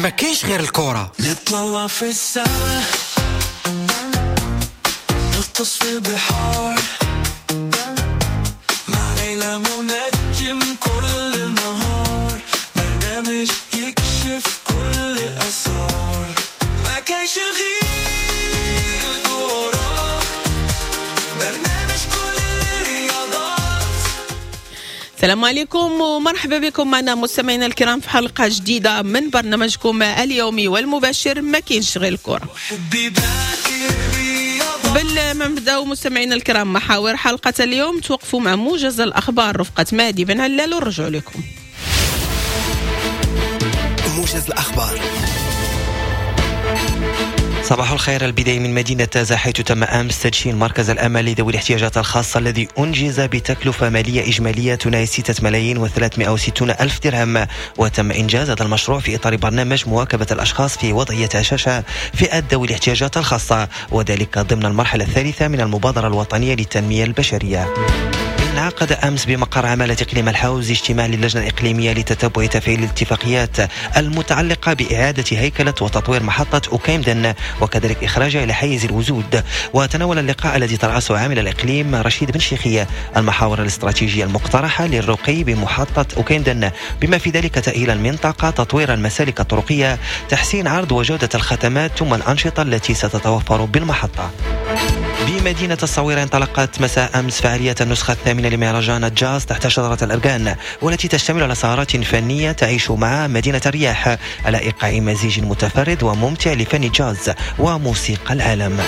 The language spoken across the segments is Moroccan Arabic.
ما كاينش غير الكرة. نطلع في السما، نغطس في البحار، مع ليلى منجم كل النهار، برنامج يكشف كل الأسرار. ما كاينش غير الكرة، برنامج كل الرياضات. السلام عليكم ومرحبا بكم معنا مستمعينا الكرام في حلقة جديدة من برنامجكم اليومي والمباشر ما كاينش غير الكرة. قبل ما نبداو مستمعينا الكرام محاور حلقة اليوم، توقفوا مع موجز الأخبار رفقة مهدي بن علال ونرجعوا لكم. موجز الأخبار. صباح الخير. البداية من مدينة تازة، حيث تم أمس تدشين مركز الأمل لذوي الاحتياجات الخاصة الذي أنجز بتكلفة مالية إجمالية تناهز 6,360,000 درهم، وتم إنجاز هذا المشروع في إطار برنامج مواكبة الأشخاص في وضعية هشاشة فئة ذوي الاحتياجات الخاصة، وذلك ضمن المرحلة الثالثة من المبادرة الوطنية للتنمية البشرية. انعقد أمس بمقر عمالة إقليم الحوز اجتماع للجنة الإقليمية لتتبع تفعيل الاتفاقيات المتعلقة بإعادة هيكلة وتطوير محطة أوكيمدن وكذلك إخراجها إلى حيز الوجود. وتناول اللقاء الذي ترأسه عامل الإقليم رشيد بن شيخية المحاور الاستراتيجية المقترحة للرقي بمحطة أوكيمدن، بما في ذلك تأهيل المنطقة، تطوير المسالك الطرقية، تحسين عرض وجودة الخدمات، ثم الأنشطة التي ستتوفر بالمحطة. بمدينة الصويرة انطلقت مساء أمس فعالية النسخة الثامنة لمهرجان الجاز تحت شجرة الأرجان، والتي تشتمل على سهرات فنية تعيش مع مدينة الرياح على إيقاع مزيج متفرد وممتع لفن الجاز وموسيقى العالم.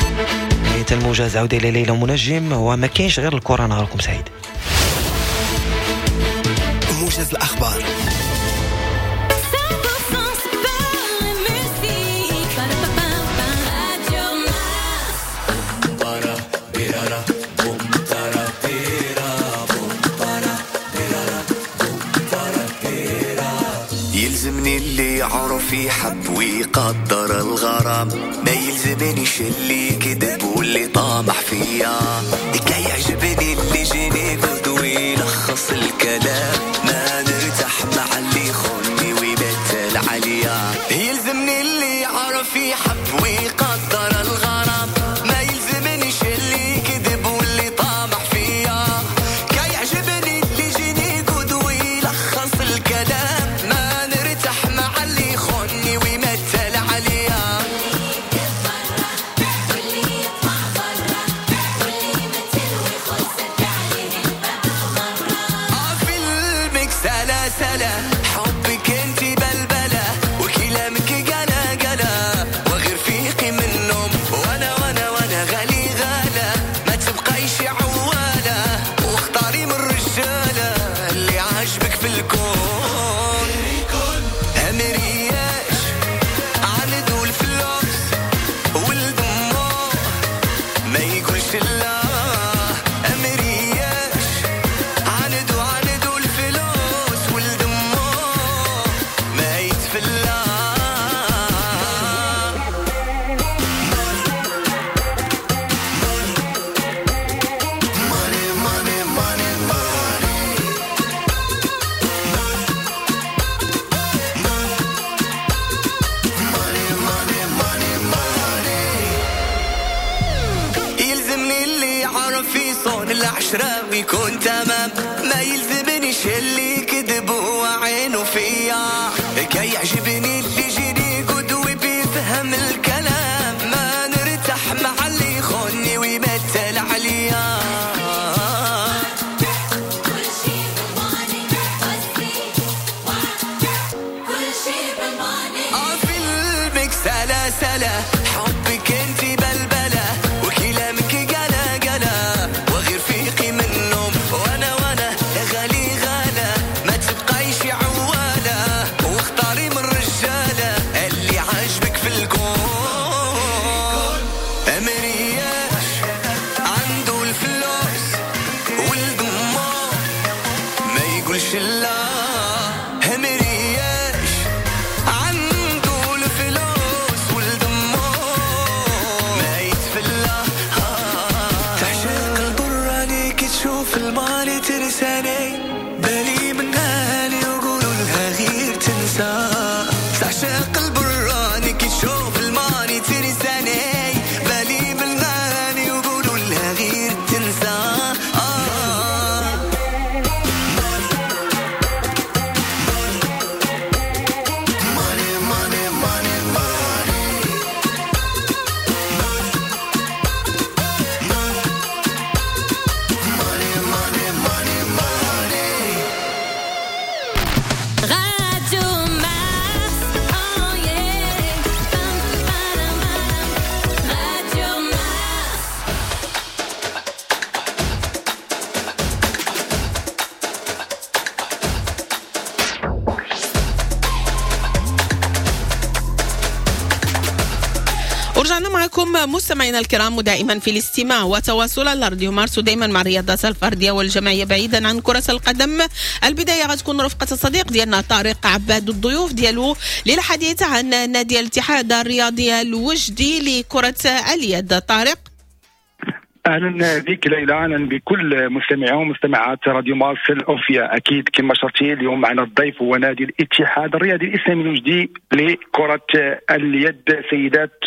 نهاية الموجز، عودة إلى ليلى منجم وما كاينش غير الكرة. نهاركم سعيد. موجز الأخبار. يلزمني اللي يعرف يحب ويقدر الغرام، ما يلزمنيش اللي كذب واللي طامح فيا. كي يعجبني اللي جيني قد ويلخص الكلام، ما نرتاح مع اللي يخوني ويبتل عليا. يلزمني اللي يعرف يحب ويقدر الغرام، ما يلزمنيش اللي كذب واللي طامح فيا. كي يعجبني اللي جيني قد ويلخص الكلام، ما نرتاح مع اللي يخوني ويمثل عليا. فيلمك سلا سلا، حبك انت بلبلة، وكلامك قلا قلا، وغير فيقي من النوم، وانا وانا وانا غالي غلا، ما تبقيش عوالة، واختاري من الرجالة اللي عاجبك في الكون. امرياش عنده الفلوس والدموع ما يقولش لا، امرياش عنده الفلوس والدموع ما يتفلى. يلزمني اللي يعرف يصون العشرة ويكون تمام، ما يلزمنيش اللي كذب هو عينه فيا. كي يعجبني اللي يجيني قد وبيفهم الكلام، ما نرتاح مع اللي يخوني ويمثل عليا. فيلمك سلا سلا، حبك انت بلبلة، وكلامك قلا قلا، وغير فيقي من النوم، وانا وانا غالي غلا، ما تبقيش عوالة، واختاري من الرجالة اللي عاجبك في الكون. امرياش عنده الفلوس والدموع ما يقولش لا، امرياش عنده الفلوس والدموع ما يتفلى. تعشق البراني كي تشوف المالي ترساني، بالي من اهلي وقولوا لها غير تنسى. تعشق البراني بكم مستمعينا الكرام، ودائما في الاستماع وتواصل على راديو مارس، ودائما مع الرياضات الفردية والجماعيه بعيدا عن كره القدم. البداية غتكون رفقه الصديق ديالنا طارق عباد والضيوف ديالو للحديث عن نادي الاتحاد الرياضي الوجدي لكرة اليد. طارق، اهلا بك ليلى، اهلا بكل مستمعي ومستمعات راديو مارس الاوفياء. اكيد كما شرتي، اليوم معنا الضيف هو نادي الاتحاد الرياضي الاسلامي الوجدي لكرة اليد سيدات.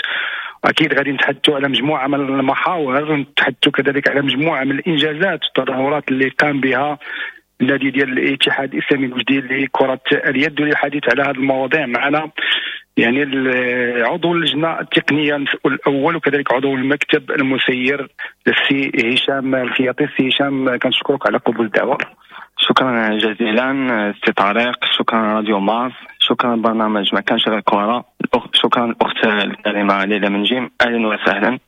اكيد غادي نتحدثوا على مجموعة من المحاور، نتحدثوا كذلك على مجموعة من الانجازات والتظاهرات اللي قام بها النادي ديال الاتحاد الاسلامي الوجدي لكرة اليد. وللحديث على هذه المواضيع معنا يعني عضو اللجنة التقنية المسؤول الاول وكذلك عضو المكتب المسير السي هشام الخياطي. السي هشام، كنشكرك على قبول الدعوه. شكرا جزيلا سي طارق، شكرا راديو مارس، شكرا برنامج ما كانش غير كرة، شكرا الاخت الكريمة ليلى منجم، اهلا وسهلا.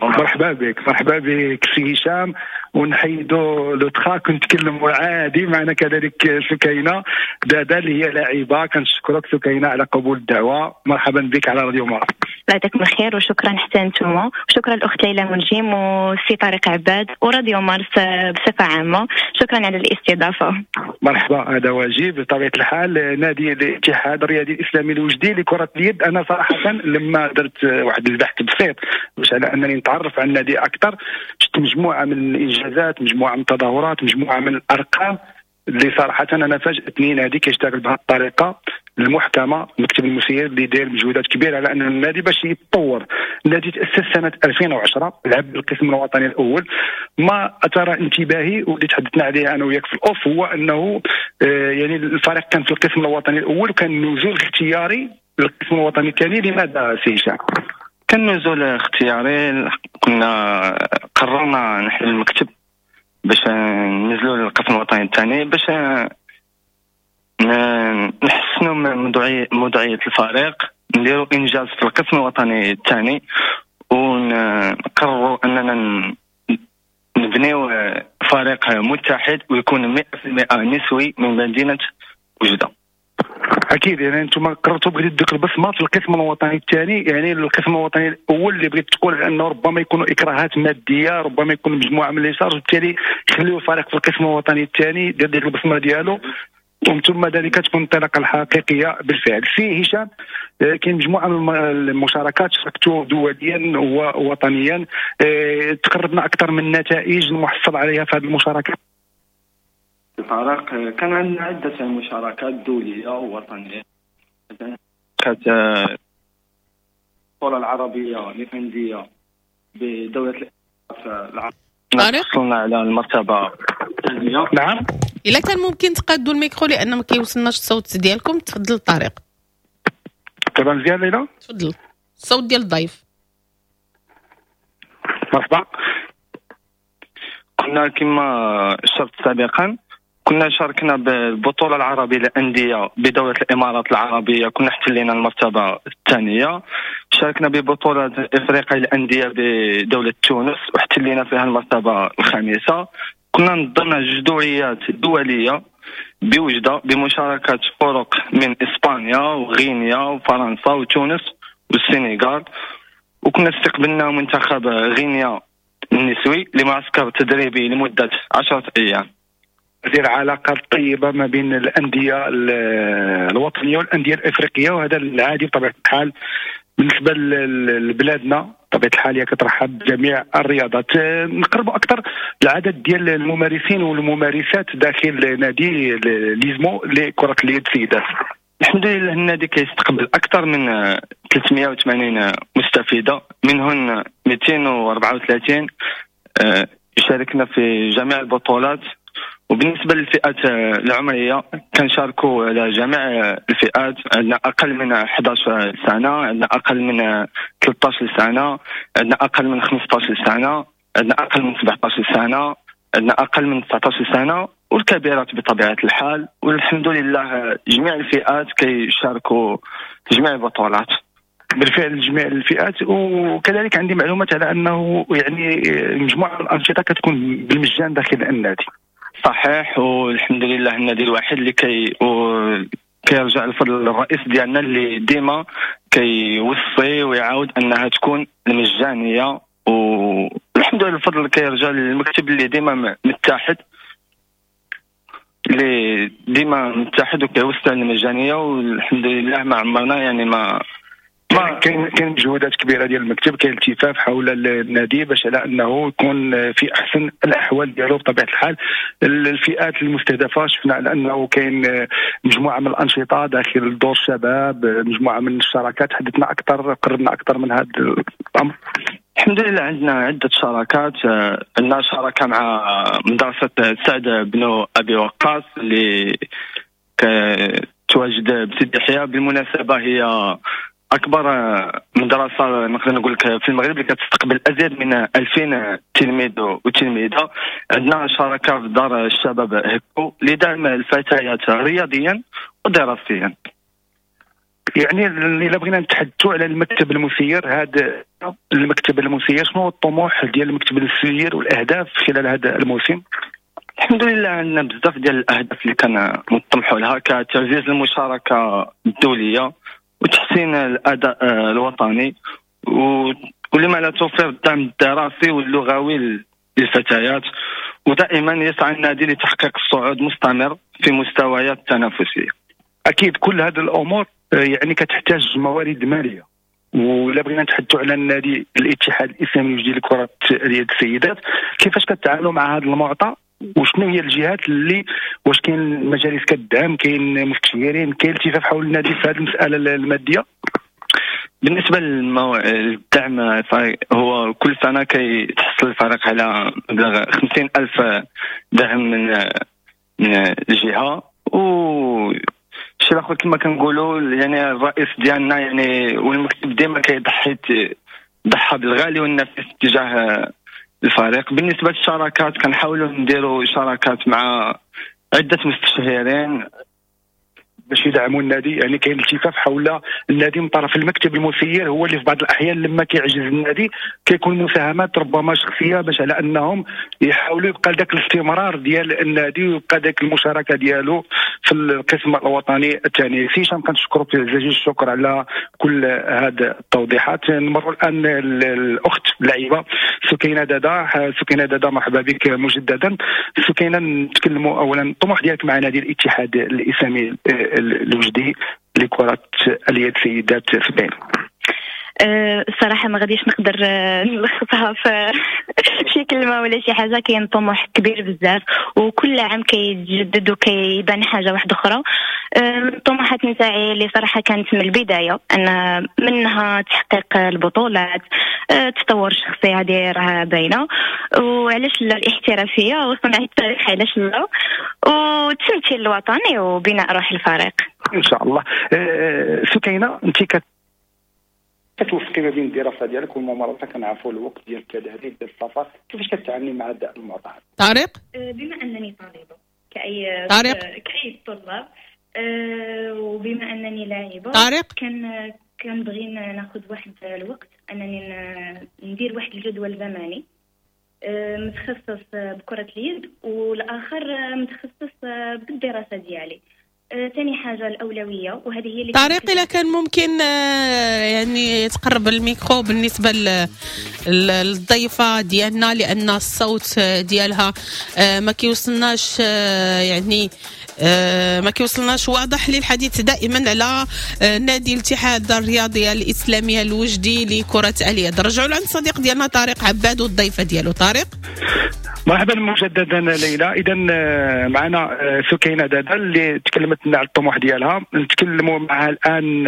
مرحبا بك، مرحبا بك سي هشام. ونحيدوا le trac ونتكلموا عادي. معنا كذلك سكينة دادا اللي هي لاعبه. كنشكرك سكينة على قبول الدعوه، مرحبا بك على راديو مارس. الله يعطيكم الخير وشكرا حتى انتم، وشكرا الاخت ليلى منجم والسي طارق عباد وراديو مارس بصفة عامه، شكرا على الاستضافه. مرحبا، هذا واجب بطبيعة الحال. نادي الاتحاد الرياضي الاسلامي الوجدي لكرة اليد، انا صراحة لما درت واحد البحث بسيط باش على انني نتعرف على النادي اكثر، شفت مجموعة من الانجازات، مجموعة من التظاهرات، مجموعة من الارقام اللي صراحة انا فاجاتني. نادي كيشتغل بهذه الطريقة المحكمه، المكتب المسير اللي داير مجهودات كبيرة على ان النادي باش يتطور. النادي تاسس سنة 2010، لعب بالقسم الوطني الاول. ما اثار انتباهي واللي تحدثنا عليه انا وياك في ال off هو انه يعني الفريق كان في القسم الوطني الاول وكان نزول اختياري للقسم الوطني الثاني. لماذا سي هشام؟ كان نزول اختياري، كنا قررنا نحل المكتب باش ننزلوا للقسم الوطني الثاني باش نحسنوا من موضوعية الفريق، نديروا انجاز في القسم الوطني الثاني، ونقرروا اننا نبنيو فريق متحد ويكون 100% نسوي من مدينة وجدة. اكيد يعني انتم قررتوا بغيتوا ديك البصمة في القسم الوطني الثاني، يعني القسم الوطني الاول اللي بغيت تقول انه ربما يكونوا اكراهات ماديه، ربما يكون مجموعة من les charges، وبالتالي يخليو الفريق في القسم الوطني الثاني دير ديك البصمة ديالو، ومن ثم ذلك تكون الانطلاقة الحقيقية بالفعل. سي هشام، كاين مجموعة من المشاركات شاركتوا دوليا ووطنيا، تقربنا اكثر من النتائج المحصل عليها في هذه المشاركات. طارق، كان عندنا عدة مشاركات دولية ووطنية. كانت البطولة العربية للأندية بدولة العربية، وصلنا على المرتبة الثانية. نعم. إلا كان ممكن تقادوا الميكرو لأن ما كيوصلناش الصوت ديالكم. تفضل طارق. تمام مزيان ليلى؟ تفضل، الصوت ديال الضيف. مرحبا. كنا كما شرت سابقا كنا شاركنا بالبطولة العربية للأندية بدولة الإمارات العربية، كنا احتلينا المرتبة الثانية. شاركنا ببطولة إفريقيا للأندية بدولة تونس واحتلينا فيها المرتبة الخامسة. كنا نظمنا جوج دوريات دولية بوجدة بمشاركة فرق من إسبانيا وغينيا وفرنسا وتونس والسنغال، وكنا استقبلنا منتخب غينيا النسوي لمعسكر تدريبي لمدة 10 أيام. دير علاقات طيبة ما بين الاندية الوطنية والاندية الافريقيه، وهذا العادي بطبيعة الحال بالنسبة لبلادنا. بطبيعة الحال هي كترحب بجميع الرياضات. نقربوا اكثر العدد ديال الممارسين والممارسات داخل نادي ليزمو لكرة اليد سيدات. الحمد لله النادي كيستقبل اكثر من 380 مستفيدة، منهن 234 يشاركنا في جميع البطولات. وبالنسبة للفئات العمرية كنشاركوا على جميع الفئات، عندنا اقل من 11 سنة، عندنا اقل من 13 سنة، عندنا اقل من 15 سنة، عندنا اقل من 17 سنة، عندنا اقل من 19 سنة، والكبيرات بطبيعة الحال. والحمد لله جميع الفئات كيشاركوا في جميع البطولات. بالفعل جميع الفئات. وكذلك عندي معلومات على انه يعني مجموعة من الانشطة كتكون بالمجان داخل النادي. صحيح، والحمد لله النادي الوحيد اللي كيرجع الفضل للرئيس ديالنا اللي ديما كيوصي ويعاود انها تكون المجانية، والحمد لله الفضل كيرجع للمكتب اللي ديما متحد، اللي ديما متحد وكيوصي على المجانية، والحمد لله ما عمرنا يعني ما كاين مجهودات كبيرة ديال المكتب، كاين التفاف حول النادي باش على انه يكون في احسن الاحوال ديالو. بطبيعة الحال الفئات المستهدفة شفنا على انه كاين مجموعة من الانشطة داخل دور الشباب، مجموعة من الشراكات، حدثنا اكثر، قربنا اكثر من هذا الامر. الحمد لله عندنا عده شراكات، عندنا شراكة مع مدرسه سعد بن ابي وقاص اللي تواجد بسيدي يحيى، بالمناسبة هي اكبر مدرسه نقدر نقول لك في المغرب اللي كتستقبل ازيد من 2000 تلميذ وتلميذه. عندنا شراكة في دار الشباب هكو لدعم الفتيات رياضيا ودراسيا. يعني الا بغينا نتحدثوا على المكتب المسير، هذا المكتب المسير شنو هو الطموح ديال المكتب المسير والاهداف خلال هذا الموسم؟ الحمد لله عندنا بزاف ديال الاهداف اللي كنطمحوا لها، كتعزيز المشاركة الدولية وتحسين الاداء الوطني، ولما لا توفير الدعم الدراسي واللغوي للفتيات، ودائما يسعى النادي لتحقيق الصعود مستمر في مستويات التنافسية. اكيد كل هذه الامور يعني كتحتاج موارد ماليه، ولا بغينا نتحدثوا على النادي الاتحاد الاسلامي الوجدي لكرة اليد السيدات، كيفاش كتعاملوا مع هذا المعطى؟ وشنو هي الجهات اللي، واش كاين مجالس كتدعم، كاين مستشارين، كاين التفاف حول النادي في هذه المسالة المادية؟ بالنسبة للدعم هو كل سنة كيتحصل الفريق على مبلغ 50,000 درهم من الجهة. و الشيء الاخر كما كنقولوا يعني الرئيس ديالنا يعني والمكتب ديما كيضحي ضحى بالغالي والنفيس تجاه الفريق. بالنسبة للشراكات كنحاولوا نديروا شراكات مع عده مستشهرين باش يدعموا النادي، يعني كاين التفاف حول النادي من طرف المكتب المسير، هو اللي في بعض الاحيان لما كيعجز النادي كيكون مساهمات ربما شخصية باش على انهم يحاولوا يبقى ذاك الاستمرار ديال النادي ويبقى ذاك المشاركة ديالو في القسم الوطني الثاني. سي هشام كنشكرك جزيل الشكر على كل هذه التوضيحات. نمر الان الاخت اللعيبة سكينة دادا. سكينة دادا مرحبا بك مجددا. سكينة، نتكلموا اولا الطموح ديالك مع نادي الاتحاد الاسلامي الوجدي لكرة اليد سيدات سبعين. الصراحة ما غاديش نقدر نلخصها في شي كلمة ولا شي حاجة. كاين طموح كبير بزاف وكل عام كيتجدد وكيبان حاجة واحدة أخرى. الطموحات نتاعي اللي صراحة كانت من البداية أن منها تحقيق البطولات، التطور الشخصي هذه راه باينة، وعلاش لا الاحترافية وصنع التاريخ علاش لا، والتمثيل الوطني وبناء روح الفريق إن شاء الله. سكينة، أنت كتوفقي ما بين الدراسة ديالك والممارسة، كنعرفوا الوقت ديال التدريب ديال السفر، كيفاش كتعاملي مع هذا المعطى؟ طارق، بما انني طالبه كاي طلاب، وبما انني لاعبه، طارق كنبغي ناخذ واحد الوقت انني ندير واحد الجدول زمني متخصص بكره اليد والاخر متخصص بالدراسة ديالي. ثاني حاجة الاولوية، وهذه هي اللي طارق اذا كان ممكن يعني تقرب الميكرو بالنسبة للضيفه ديالنا، لان الصوت ديالها ما كيوصلناش، يعني ما كيوصلناش واضح. للحديث دائما على نادي الاتحاد الرياضي الاسلامي الوجدي لكرة اليد. رجعوا لعند الصديق ديالنا طارق عباد والضيفه ديالو. طارق مرحبا مجددا ليلى. اذا معنا سكينة دادا اللي تكلمت لنا على الطموح ديالها، نتكلموا معها الان،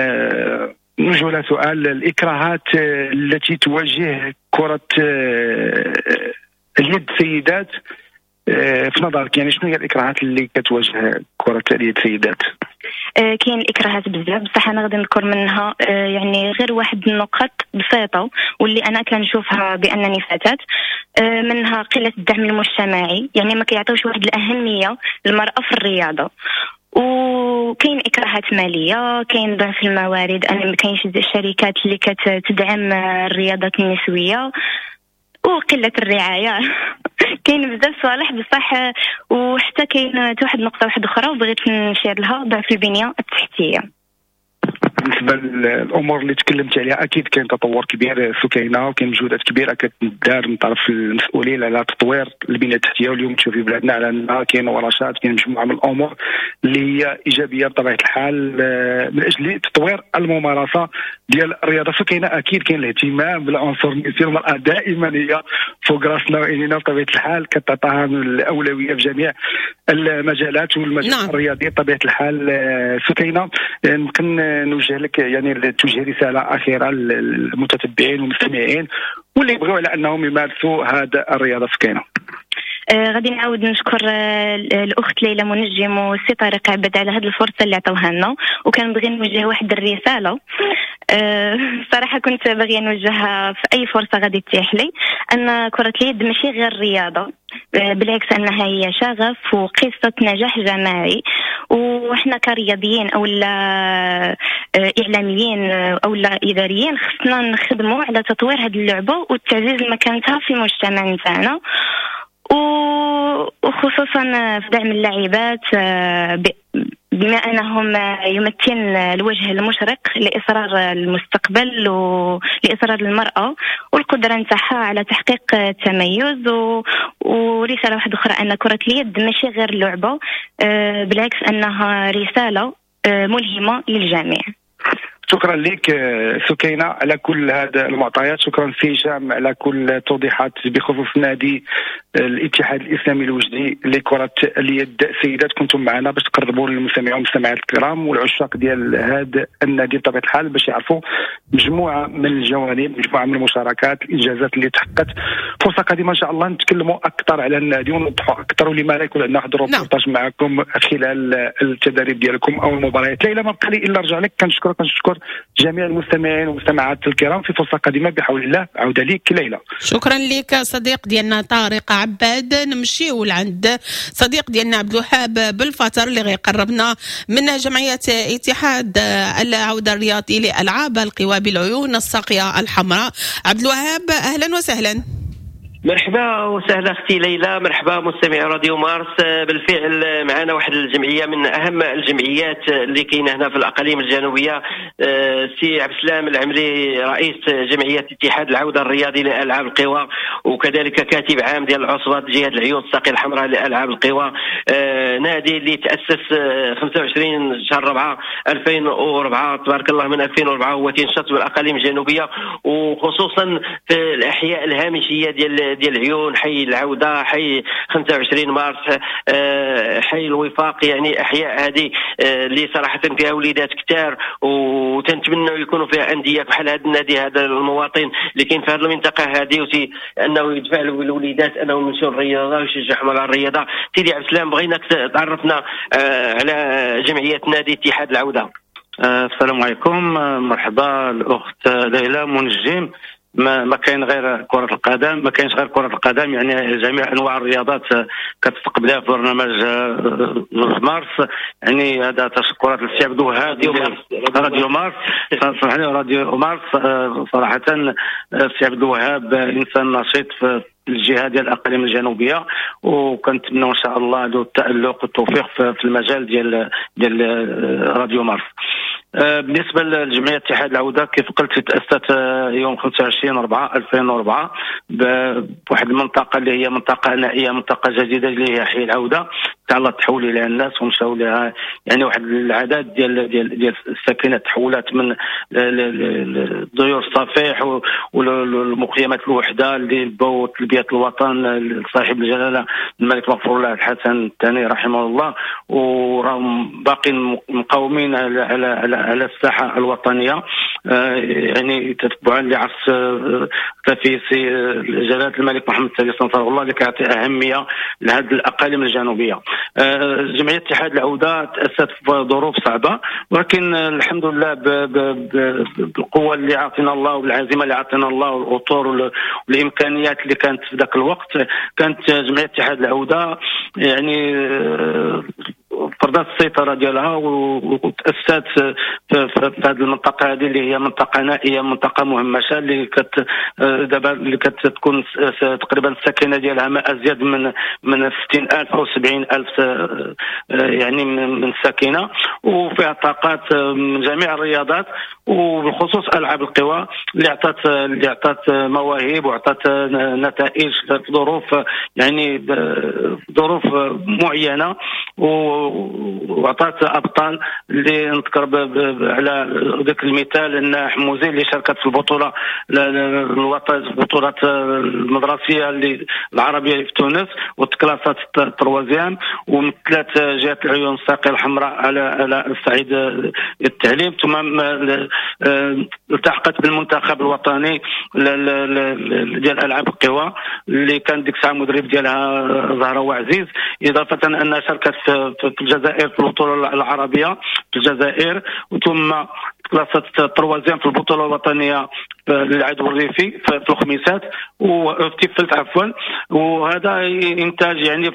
نوجه لها سؤال: الاكراهات التي تواجه كره اليد سيدات في نظرك، يعني شنو هي الاكراهات اللي كتواجه كره اليد سيدات؟ كاين الاكراهات بزاف، بصح انا غادي نذكر منها يعني غير واحد النقط بسيطة واللي انا كنشوفها بانني فتاة. منها قلة الدعم المجتمعي، يعني ما كيعطيوش واحد الاهمية للمراة في الرياضة. وكاين اكراهات ماليه، كاين ضعف الموارد، انا ما كاينش الشركات اللي كتدعم الرياضات النسوية، وقلة الرعاية. كاين بزاف صوالح بصح. وحتى كاين واحد النقطة واحدة اخرى وبغيت نشير لها، ضعف البنية التحتية. بالنسبة للامور اللي تكلمت عليها اكيد كاين تطور كبير سكينة، وكاين مجهودات كبيرة كتدار من طرف المسؤولين على تطوير البنية التحتية. واليوم تشوفي بلادنا على انها كاين ورشات، كاين مجموعة من الامور اللي هي ايجابية بطبيعة الحال من اجل تطوير الممارسة ديال الرياضة. سكينة اكيد كاين الاهتمام بالعنصر النسائي، المراة دائما هي فوق راسنا وعينينا بطبيعة الحال، كتعطاها الاولوية في جميع المجالات والمجال الرياضي بطبيعة الحال. سكينة يمكن نوجه لك يعني توجه رسالة اخيرة للمتتبعين والمستمعين واللي يبغوا على انهم يمارسوا هذا الرياضة سكينة. غادي نعاود نشكر الاخت ليلى منجم والسي طارق عبد على هذه الفرصة اللي عطوها لنا، وكنبغي نوجه واحد الرسالة صراحة كنت باغية نوجهها في اي فرصة غادي تتيح لي، ان كره اليد ماشي غير رياضة، بالعكس انها هي شغف وقصة نجاح جماعي. وحنا كرياضيين او لا اعلاميين او لا اداريين خصنا نخدموا على تطوير هذه اللعبة وتعزيز مكانتها في المجتمع نتاعنا، وخصوصا في دعم اللاعبات بما انهم يمثلن الوجه المشرق لاصرار المستقبل ولاصرار المراة والقدرة نتاعها على تحقيق التميز. ورسالة واحدة اخرى ان كره اليد ماشي غير لعبه، بالعكس انها رسالة ملهمة للجميع. شكرا لك سكينة على كل هذه المعطيات، شكرا سي هشام على كل التوضيحات بخصوص نادي الاتحاد الاسلامي الوجدي لكرة اليد. سيدات كنتم معنا باش تقربوا للمستمعين والمستمعات الكرام والعشاق ديال هذا النادي بطبيعة الحال باش يعرفوا مجموعة من الجوانب، مجموعة من المشاركات، الانجازات اللي تحققت. فرصة قادمة ان شاء الله نتكلموا اكثر على النادي ونوضحوا اكثر، ولما لا يكون عندنا واحد الروبورتاج معكم خلال التدريب ديالكم او المباريات. ليلى ما بقى لي الا نرجع لك، كنشكرك كنشكر جميع المستمعين والمستمعات الكرام. في فرصة قادمة بحول الله، عوده لك ليلى. شكرا لك صديق ديالنا طارق عباد. نمشيو لعند صديق ديالنا عبد الوهاب بالفتر اللي غيقربنا من جمعية اتحاد العودة الرياضي لألعاب القوى بالعيون الساقية الحمراء. عبد الوهاب أهلا وسهلا. مرحبا وسهلا اختي ليلى، مرحبا مستمعي راديو مارس. بالفعل معنا واحد الجمعية من اهم الجمعيات اللي كاينه هنا في الاقاليم الجنوبية، سي عبد السلام العمري رئيس جمعية اتحاد العودة الرياضي لالعاب القوى، وكذلك كاتب عام ديال العصبة جهة العيون الساقيه الحمراء لالعاب القوى، نادي اللي تاسس 25 شهر 4 2004، تبارك الله من 2004 هو تنشط بالاقاليم الجنوبية وخصوصا في الاحياء الهامشيه ديال العيون، حي العودة، حي 25 مارس، حي الوفاق، يعني احياء هذه اللي صراحة فيها وليدات كثار وتنتمنوا يكونوا فيها اندية بحال هذا النادي هذا المواطن اللي كاين في هذه المنطقة هذه، انه يدفع الوليدات انهم يمشوا للرياضة ويشجعهم على الرياضة. سيدي عبد السلام بغيناك تعرفنا على جمعية نادي اتحاد العودة. السلام عليكم، مرحبا الاخت ليلى منجم. ما كاين غير كرة القدم، ما كاينش غير كرة القدم، يعني جميع انواع الرياضات كتستقبلها في برنامج مارس. يعني هذا تشكرات للسي عبد الوهاب راديو مارس، سمحني راديو مارس. صراحة السي عبد الوهاب انسان نشيط في الجهة ديال الاقاليم الجنوبية، وكنتمنوا ان شاء الله له التالق والتوفيق في المجال ديال راديو مارس. بالنسبة لجمعية اتحاد العودة كيف قلت تاسست يوم 25/4/2004 بواحد المنطقة اللي هي منطقة نائية، منطقة جديدة اللي هي حي العودة، تعالى تحول الى الناس ومشاو لها، يعني واحد العدد ديال ديال ديال الساكنة تحولات من ديور الصفيح والمخيمات الوحدة اللي بوا تلبية الوطن لصاحب الجلاله الملك مغفور له الحسن الثاني رحمه الله، وراهم باقين مقاومين على على على الساحة الوطنية، يعني تتبعا لعصر تفيسي جلاله الملك محمد السادس نصره الله اللي كيعطي اهمية لهذه الاقاليم الجنوبية. جمعية اتحاد العودة تاسست في ظروف صعبة، ولكن الحمد لله بالقوة اللي عطينا الله والعزيمة اللي عطينا الله والاطر والامكانيات اللي كانت في ذاك الوقت، كانت جمعية اتحاد العودة يعني فرضت فرضت السيطرة ديالها وتاسست في هذه المنطقة هذه اللي هي منطقة نائية، منطقة مهمشه اللي دابا اللي كتكون تقريبا الساكنة ديالها ما ازيد من 60000 او 70000 يعني من الساكنة، وفيها طاقات من جميع الرياضات وبالخصوص العاب القوى اللي عطات مواهب وعطات نتائج في ظروف يعني ظروف معينة، وعطات ابطال اللي نذكر على ذاك المثال ان حموزي اللي شاركت في البطولة البطولات المدرسية اللي العربية في تونس وتكلاسات troisième، ومثلات جهة العيون الساقيه الحمراء على الصعيد التعليم، ثم التحقت بالمنتخب الوطني ديال العاب القوى اللي كان ديك الساعة مدرب ديالها زهره وعزيز. اضافه انها شاركت في الجزائر في البطولة العربية في الجزائر، وثم كلاسات troisième في البطولة الوطنية للعدو الريفي في الخميسات وفي تيفلت عفوا. وهذا انتاج يعني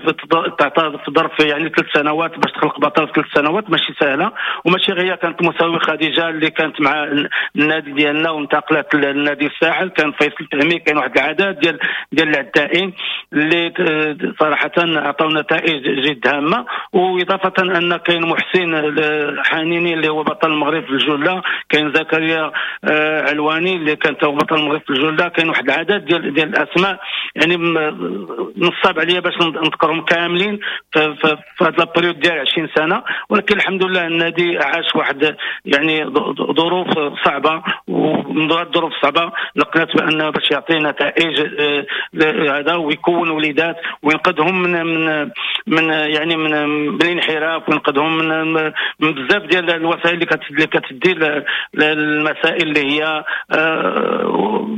تعطى في ظرف يعني 3 سنوات باش تخلق بطل في 3 سنوات ماشي سهلة، وماشي غير كانت مساوي خديجة اللي كانت مع النادي ديالنا وانتقلت للنادي الساحل، كان فيصل تهمي، كاين واحد العدد ديال العدائين اللي صراحة عطاو نتائج جد هامة. واضافه ان كاين محسن حنيني اللي هو بطل المغرب في الجله، كاين زكريا علواني اللي كان هو بطل المغرب في الجله، كاين واحد العدد ديال الاسماء يعني نصاب عليا باش نذكرهم كاملين في هذا la période ديال 20 سنة. ولكن الحمد لله النادي عاش واحد يعني ظروف صعبة، ومن الظروف الصعبة لقيت بان باش يعطي نتائج هذا ويكون وليدات وينقذهم من من من يعني من الانحراف، وينقذهم من بزاف ديال الوسائل اللي كتدي المسائل اللي هي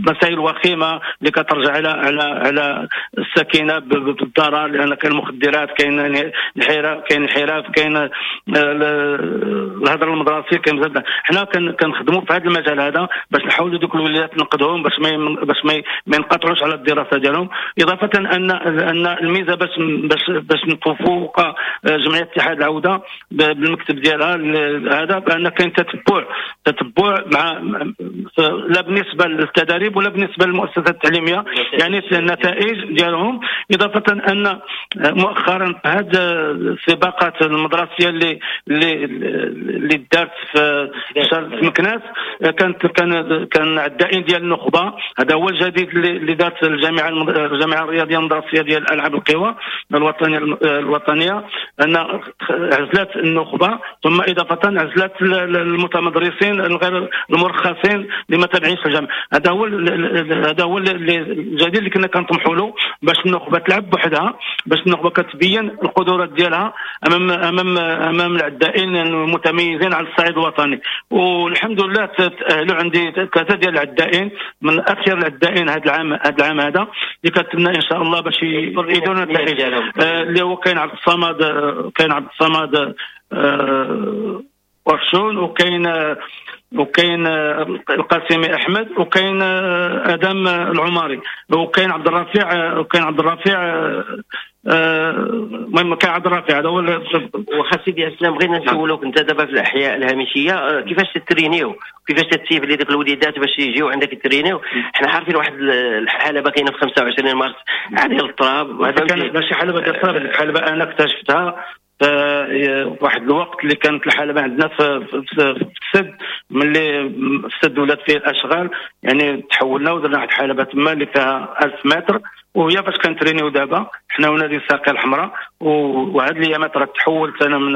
مسائل وخيمة اللي كترجع على على على السكينة بالضرر، لان كاين المخدرات، كاين الانحراف، كاين الانحراف، كاين الهدر المدرسي، كاين بزاف. حنا كنخدموا في هذا المجال هذا باش نحاولوا دوك الوليدات ننقذهم باش ما ينقطعوش على الدراسة ديالهم. اضافه ان الميزة باش نتفوق جمعية اتحاد العودة بالمكتب ديالها هذا بان كاين تتبع مع لا بالنسبة للتدريب ولا بالنسبة للمؤسسات التعليمية يعني النتائج ديالهم. اضافه ان مؤخرا هذه السباقات المدرسية اللي اللي اللي دارت في مكناس كان عدائين ديال النخبة، هذا هو الجديد اللي دارت الجامعة الرياضية المدرسية ديال العاب القوى الوطنية، ان عزلت النخبة، ثم اضافه عزلت المتمدرسين الغير المرخصين اللي ما تابعينش الجامعة. هذا هو الجديد اللي كنا كنطمحوا له باش النخبة تلعب بوحدها، باش النخبة كتبين القدرات ديالها امام امام امام العدائين المتميزين على الصعيد الوطني. والحمد لله تاهلوا عندي 3 ديال العدائين من اخير العدائين هذا العام هذا اللي كنتمنى ان شاء الله باش يديروا النتائج، اللي هو كاين عبد الصمد، ورشون، وكاين القاسمي احمد، وكاين ادم العماري، وكاين عبد الرفيع، المهم كاين عبد الرفيع. هذا هو. واخا سيدي اسلام، بغينا نسولوك انت دابا في الاحياء الهامشيه كيفاش تترينيو، كيفاش تتسيف لي ديك الوليدات باش يجيو عندك يترينيو؟ حنا عارفين واحد الحلبة كاينه في 25 مارس ديال التراب، هذا ماشي حلبة ديال التراب، الحلبة انا اكتشفتها واحد الوقت اللي كانت الحلبة عندنا في السد، ملي السد ولات فيه الاشغال يعني تحولنا ودرنا واحد الحلبة تما اللي فيها 1000 متر، وهي فاش كنترينيو دابا حنا ونادي الساقيه الحمراء. وهاد الايامات راه تحولت انا من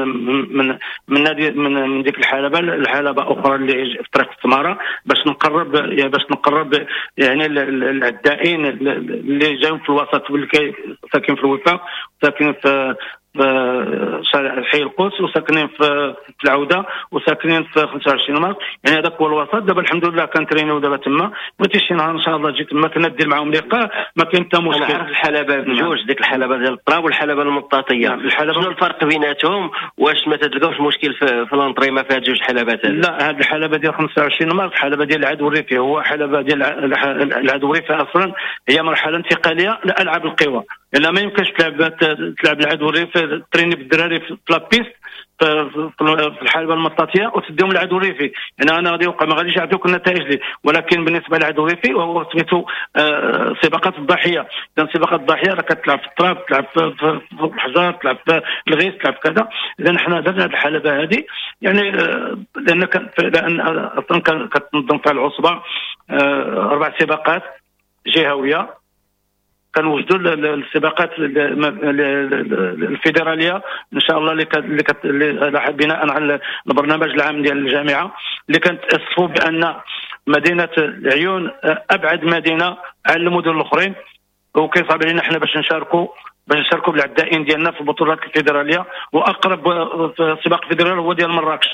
من من نادي من ديك الحلبة لحلبه اخرى اللي في طريق السماره باش نقرب يعني العدائين اللي جايين في الوسط واللي ساكنين في الوفاق، ساكنين في شارع حي القدس، وساكنين في العودة، وساكنين في 25 مارس، يعني هذاك هو الوسط. دابا الحمد لله كنترينيو دابا تما، بغيتي شي نهار ان شاء الله تجي تما كنا دير معاهم لقاء، ما كاين حتى مشكل. انا عارف الحلبة بجوج، ديك الحلبة ديال التراب والحلبه المطاطيه، شنو الفرق بيناتهم؟ واش ما تلقاوش مشكل في l'entraînement في هاد جوج حلبات؟ لا، هاد الحلبة ديال 25 مارس حلبة ديال العدو الريفي، هو حلبة ديال العدو الريفي اصلا هي مرحلة انتقالية لالعاب القوى، لان ما يمكنش تلعب العدو الريفي، تريني بالدراري في la piste في الحلبة المطاطيه وتديهم العدو الريفي، يعني انا غادي يوقع ما غاديش يعطيوك النتائج لي. ولكن بالنسبة للعدو الريفي وهو سميتو سباقات الضحية، اذا سباقات الضحية راه كتلعب في التراب، تلعب في الحجر، تلعب في الغيس، تلعب كذا. اذا حنا درنا هذه الحلبة هذه يعني لان اصلا كتنظم فيها العصبة 4 سباقات جهويه، كنوجدوا السباقات الفيدرالية ان شاء الله اللي بناء على البرنامج العام ديال الجامعة، اللي كنتاسفوا بان مدينة العيون ابعد مدينة على المدن الاخرين، وكيصعب علينا حنا باش نشاركوا بالعدائين ديالنا في البطولات الفيدرالية، واقرب سباق فيدرالي هو ديال مراكش.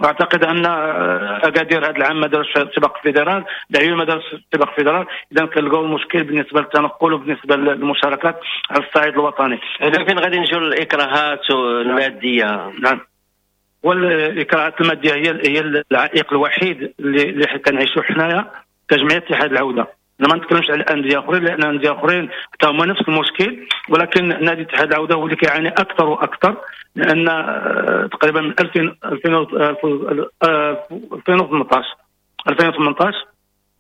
واعتقد ان اكادير هذا العام ما دارش سباق fédéral، العيون ما دارش سباق fédéral. اذا كنلقاو المشكل بالنسبة للتنقل وبالنسبة للمشاركات على الصعيد الوطني. هنا فين غادي نجيو للاكراهات المادية؟ نعم، والاكراهات المادية هي العائق الوحيد اللي كنعيشوه حنايا كجمعية اتحاد العودة. انا ما نتكلمش على الاندية اخرين لان الاندية اخرين حتى هما نفس المشكل، ولكن نادي اتحاد العودة هو اللي كيعاني اكثر واكثر، لان تقريبا من 2018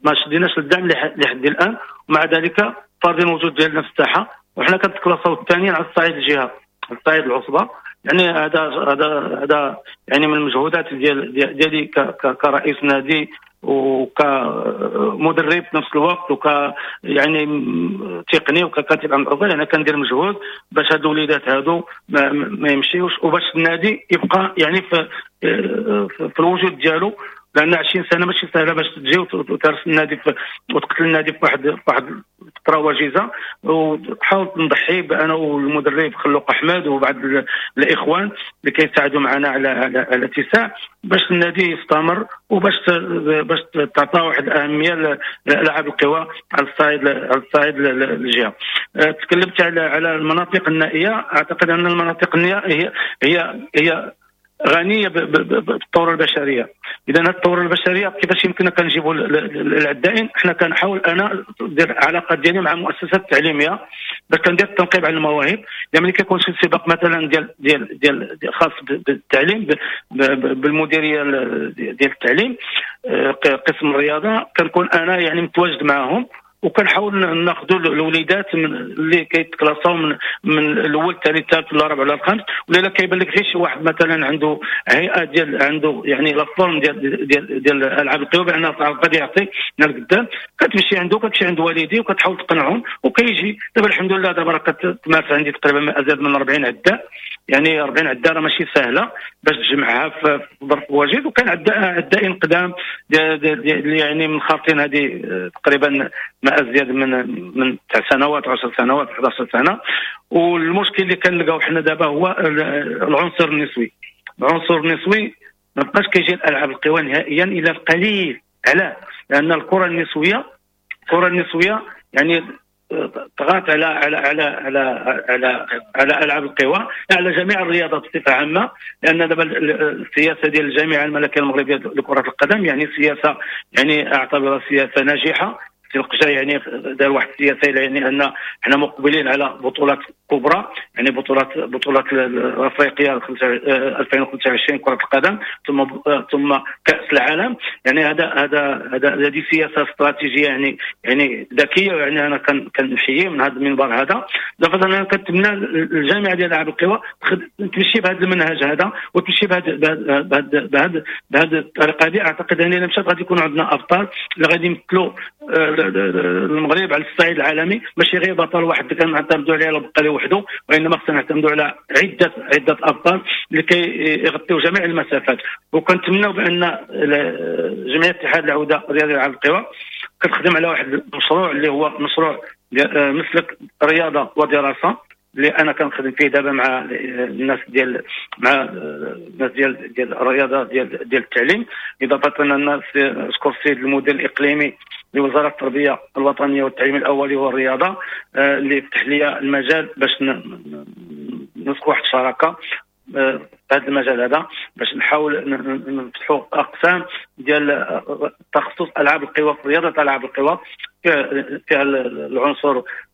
ما شديناش الدعم لحد الان، ومع ذلك فارضين الوجود ديالنا في الساحة، وحنا كنتكلاصاو الثانيين على الصعيد الجهة، على الصعيد العصبة. يعني هذا هذا هذا يعني من المجهودات ديالي كرئيس نادي وكمدرب في نفس الوقت، وك يعني تقني وككاتب عام العصبة، يعني كندير مجهود باش هاد الوليدات هادو ما يمشيوش، وباش النادي يبقى يعني في الوجود ديالو، لان 20 سنة ماشي سهلة باش تجي وترس النادي وتقتل النادي في واحد الفترة وجيزة. وحاولت نضحي انا والمدرب خلوق احمد وبعض الاخوان اللي كيساعدوا معنا على الاتساع باش النادي يستمر، وباش باش تعطى واحد الاهمية لالعاب القوى على الصعيد الجهة. تكلمت على المناطق النائية، اعتقد ان المناطق النائية هي غنية بالثورة البشرية. اذا هذه الثورة البشرية كيفاش يمكننا كنجيبوا العدائين؟ حنا كنحاول انا ندير علاقة ديالي مع المؤسسات التعليمية باش كندير التنقيب على المواهب. يعني ملي كيكون شي سباق مثلا ديال ديال ديال خاص بالتعليم بالمديريه ديال التعليم قسم الرياضة، كنكون انا يعني متواجد معهم، وكنحاول ناخذوا الوليدات من اللي كيتكلاساو من الاول الثاني الثالث ولا الرابع ولا الخامس، ولا الا كيبان لك غير شي واحد مثلا عنده هيئة ديال عنده يعني la forme ديال ديال ديال العاب القوى بان غادي يعطي من القدام، كتمشي عنده، كتمشي عند والديه وكتحاول تقنعهم وكيجي. دابا الحمد لله دابا راه كتمارس عندي تقريبا ما ازيد من 40 عداء، يعني 40 عداء راه ماشي سهلة باش تجمعها في ظرف وجيز. وكان عدائين قدام يعني من خاطين هذه تقريبا ما ازيد من 9 سنوات 10 سنوات 11 سنة. والمشكل اللي كنلقاو حنا دابا هو العنصر النسوي. العنصر النسوي ما بقاش كيجي الالعاب القوى نهائيا الا القليل. علاه؟ لان الكره النسوية يعني طغات على على على على على على العاب القوى، على جميع الرياضات بصفة عامة. لان دابا السياسة ديال الجامعة الملكية المغربية لكرة القدم يعني سياسة يعني اعتبرها سياسة ناجحة. القجا يعني دار واحد السياسة يعني ان حنا مقبلين على بطولات كبرى، يعني بطولات الافريقية 2025 كره القدم، ثم كاس العالم. يعني هذا هذا هذا هذه سياسة استراتيجية يعني ذكية، يعني انا كنحيي من هذا المنبر هذا. دابا انا كنتمنى الجامعة ديال العاب القوى تمشي بهذا المنهج هذا وتمشي بهذه الطريقة هذه. اعتقد ان الا مشات غادي يكون عندنا ابطال اللي غادي يمثلوا المغرب على الصعيد العالمي، ماشي غير بطل واحد كنعتمدوا عليه ولا بقى وحده، وانما خصنا نعتمدوا على عده ابطال لكي يغطيو جميع المسافات. وكنتمناو بان جمعية اتحاد العودة الرياضي لألعاب القوى كتخدم على واحد المشروع اللي هو مشروع مسلك رياضة ودراسة، اللي انا كنخدم فيه دابا مع الناس ديال ديال الرياضة ديال التعليم. اضافه الناس اشكر السيد المدير الاقليمي لوزارة التربية الوطنية والتعليم الاولي والرياضة اللي فتح لي المجال باش نسقوا واحد الشراكة في هذا المجال هذا، باش نحاول نفتحوا اقسام ديال تخصص العاب القوى في رياضة العاب القوى. فيها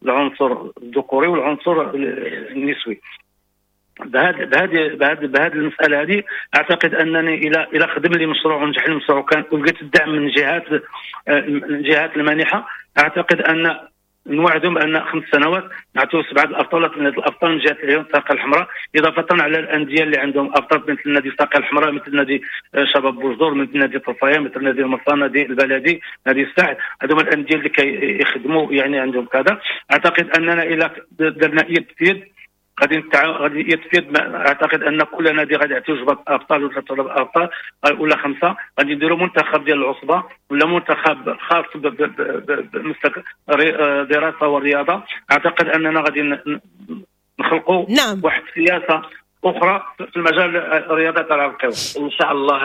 العنصر الذكوري والعنصر النسوي. بهذه المسالة هذه اعتقد انني الى خدم لي مشروع ونجح لي المشروع وكان ولقيت الدعم من الجهات المانحه، اعتقد ان نوعدهم بان 5 سنوات نعطيو 7 الابطال ولا 8 الابطال من جهة العيون الساقيه الحمراء، اضافه على الاندية اللي عندهم ابطال مثل نادي الساقيه الحمراء، مثل نادي شباب بوجدور، مثل نادي طرفايه، مثل نادي المرسى، نادي البلدي، نادي الساحل. هذوما الاندية اللي كيخدموا يعني عندهم كذا. اعتقد اننا الى درنا يد في يد غادي يد في يد، اعتقد ان كل نادي غادي يعطيو 7 ابطال ولا 3 ابطال ولا 5، غادي نديروا منتخب ديال العصبة ولا منتخب خاص بمسلك دراسة والرياضة. اعتقد اننا غادي نخلقوا واحد السياسة اخرى في المجال الرياضة تاع القوى ان شاء الله.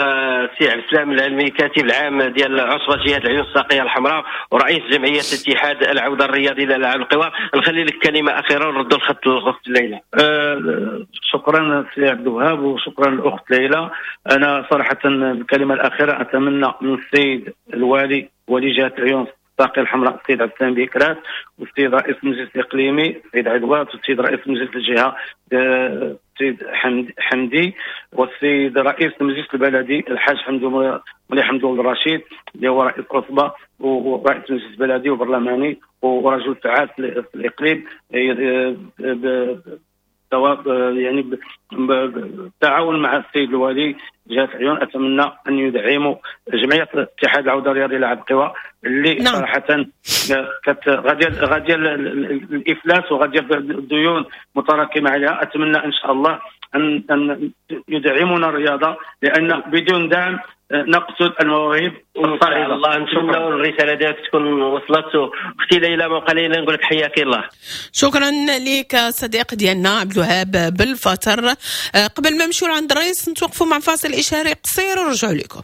سي عبد السلام العلمي، كاتب العام ديال عصبه جهة العيون الساقيه الحمراء ورئيس جمعية اتحاد العودة الرياضي لالعاب القوى، نخلي لك كلمة اخيرة ونردوا الخط للاخت ليلى. شكرا سي عبد الوهاب وشكرا للاخت ليلى. انا صراحة الكلمة الاخيرة اتمنى من السيد الوالي ولي جهة العيون الساقيه الحمراء السيد عبد السلام بكرات، والسيد رئيس المجلس الاقليمي السيد عدوات، والسيد رئيس مجلس الجهة السيد حمدي، والسيد رئيس المجلس البلدي الحاج مولي حمدو الرشيد اللي هو رئيس عصبه ورئيس المجلس البلدي وبرلماني ورجل فعال في الاقليم، يعني بالتعاون مع السيد الوالي جهة العيون. اتمنى ان يدعموا جمعية اتحاد العودة الرياضي لالعاب القوى اللي صراحة غادية الافلاس وغاديه الديون متراكمه عليها. اتمنى ان شاء الله ان يدعمونا الرياضة، لان بدون دعم نقتل المواهب الصاعدة. الله نتمنى الرسالة ديالك تكون وصلت. اختي ليلى ما قليلا نقول لك حياك الله. شكرا لك صديق ديالنا عبد الوهاب بالفتر. قبل ما نمشيو عند الرئيس نتوقفوا مع فاصل اشهاري قصير ونرجعوا لكم.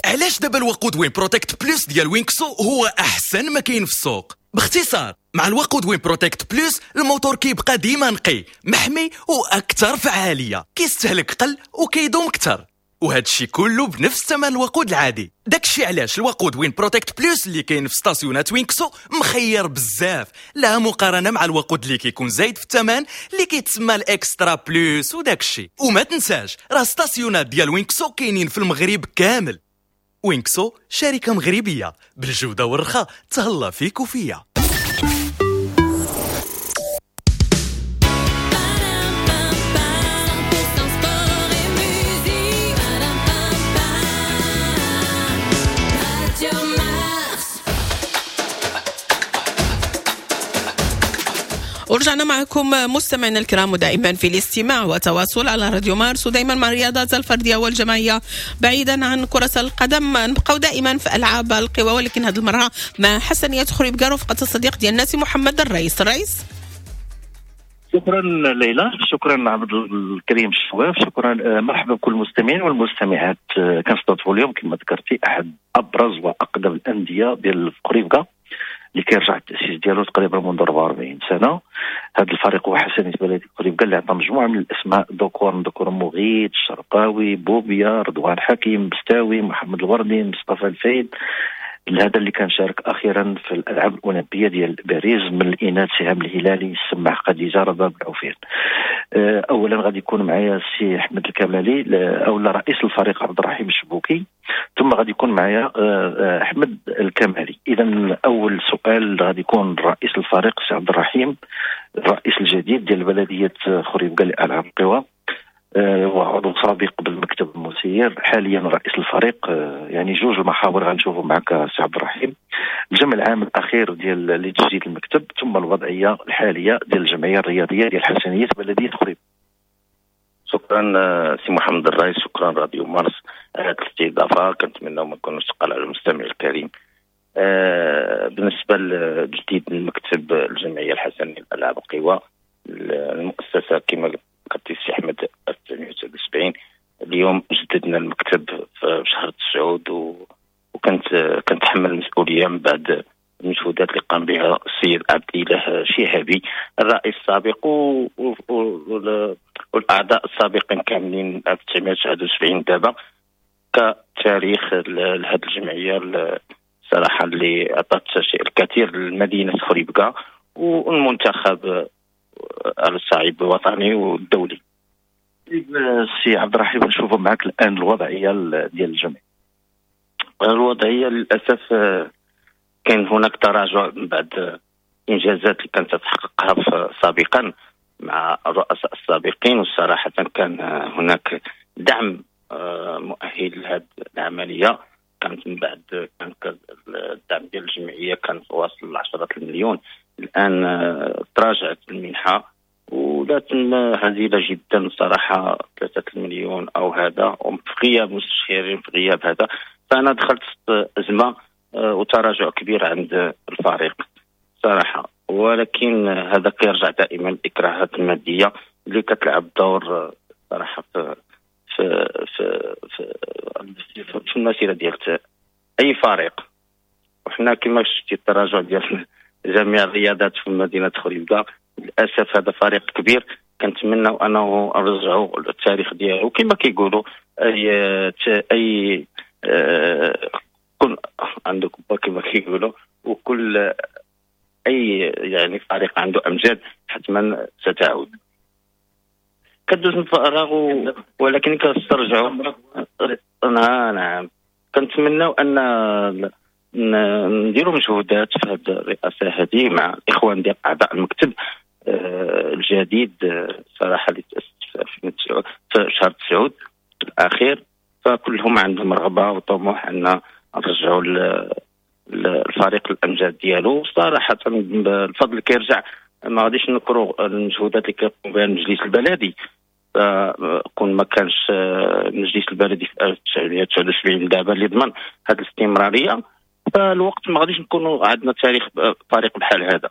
علاش دابا الوقود وين بروتكت بلوس ديال وينكسو هو احسن ما كاين في السوق؟ باختصار، مع الوقود وين بروتكت بلوس الموتور كيبقى ديما نقي، محمي واكثر فعالية، كيستهلك قل وكيدوم اكثر، وهذا الشيء كله بنفس ثمن الوقود العادي. داكشي علاش الوقود وين بروتكت بلوس اللي كاين في ستاسيونات وينكسو مخير بزاف، لا مقارنة مع الوقود اللي كيكون زايد في الثمن اللي كيتسمى ال extra plus وداكشي. وما تنساش راه ستاسيونات ديال وينكسو كاينين في المغرب كامل. وينكسو شركة مغربية بالجودة والرخاء، تهلا فيك وفيا. ورجعنا معكم مستمعينا الكرام، ودائما في الاستماع وتواصل على راديو مارس، ودائما مع الرياضات الفردية والجماعيه بعيدا عن كره القدم. نبقاو دائما في العاب القوى، ولكن هذه المرة مع حسنيه خريبكة رفقه الصديق ديالنا سي محمد الرئيس. الرئيس، شكرا ليلى، شكرا عبد الكريم الشواف، شكرا. مرحبا بكل المستمعين والمستمعات. كنستضيفوا اليوم كما ذكرتي احد ابرز واقدم الاندية ديال خريبكة اللي كيرجع التاسيس ديالو تقريبا منذ 44 سنة. هذا الفريق هو حسنية بلدية خريبكة اللي عطى مجموعة من الاسماء، ذكور مغيث، الشرقاوي، بوبيا، رضوان حكيم، بستاوي، محمد الوردي، مصطفى الفايد، هذا اللي كان شارك اخيرا في الالعاب الاولمبية ديال باريس. من الاناث سهام الهلالي، السماح خديجة، رباب العوفير. اولا غادي يكون معايا السي احمد الكمالي او رئيس الفريق عبد الرحيم الشبوكي، ثم غادي يكون معايا احمد الكمالي. اذا اول سؤال غادي يكون رئيس الفريق السي عبد الرحيم، الرئيس الجديد ديال بلديه خريبكة لالعاب القوى، وعضو سابق بالمكتب المسير، حاليا رئيس الفريق. يعني جوج المحاور غنشوفوا معك سي عبد الرحيم، الجمع العام الاخير ديال لتجديد المكتب، ثم الوضعية الحالية ديال الجمعية الرياضية ديال حسنيه بلديه خريبكة. شكرا سي محمد الرئيس، شكرا راديو مارس على هذه الاستضافة، كنتمنى ما نكونوش ثقال على المستمع الكريم. بالنسبة لتجديد المكتب الجمعية الحسنيه لالعاب القوى، المؤسسة كما قلت سي احمد 1979، اليوم جددنا المكتب في شهر 9، وكنت كنتحمل المسؤولية من بعد المجهودات اللي قام بها السيد عبد الاله شهابي الرئيس السابق والاعضاء السابقين كاملين 1979 دابا كتاريخ لهذه الجمعية الصراحة اللي عطات شيء الكثير لمدينة خريبكا والمنتخب على الصعيد الوطني والدولي. سي عبد الرحيم، نشوفوا معك الان الوضعية ديال الجمعية. الوضعية للاسف كاين هناك تراجع من بعد الانجازات اللي كانت تحققها سابقا مع الرؤساء السابقين، والصراحة كان هناك دعم مؤهل لهذه العملية. كانت من بعد كان الدعم ديال الجمعية كان واصل ل 10 المليون، الان تراجعت المنحة ولات هزيلة جدا صراحة، 3 المليون او هذا، وفي غياب مستشارين، في غياب هذا. فانا دخلت في ازمة وتراجع كبير عند الفريق صراحة، ولكن هذا كيرجع دائما الاكراهات المادية اللي كتلعب دور صراحة في في في في, في المسيرة ديال اي فريق. وحنا كما شفتي التراجع ديال جميع الرياضات في مدينة خريبكا، للاسف هذا فريق كبير كنتمناو انه نرجعوا التاريخ ديالو كما كيقولوا اي كل عندك كما كيقولوا، وكل اي يعني فريق عنده امجاد حتما ستعود. كدوز من فراغ ولكن كنسترجعوا. نعم، كنتمناو ان نديروا مجهودات في هذه الرئاسة هذه مع الاخوان ديال اعضاء المكتب الجديد صراحة اللي تاسس في شهر 9 الاخير، فكلهم عندهم رغبة وطموح ان نرجعوا الفريق الامجاد ديالو. صراحة الفضل كيرجع، ما غاديش نكروا المجهودات اللي كيقوم بها المجلس البلدي، فكون ما كانش المجلس البلدي في 1979 دابا اللي ضمن هذه الاستمرارية، فالوقت ما غاديش نكونوا عندنا تاريخ فريق بحال هذا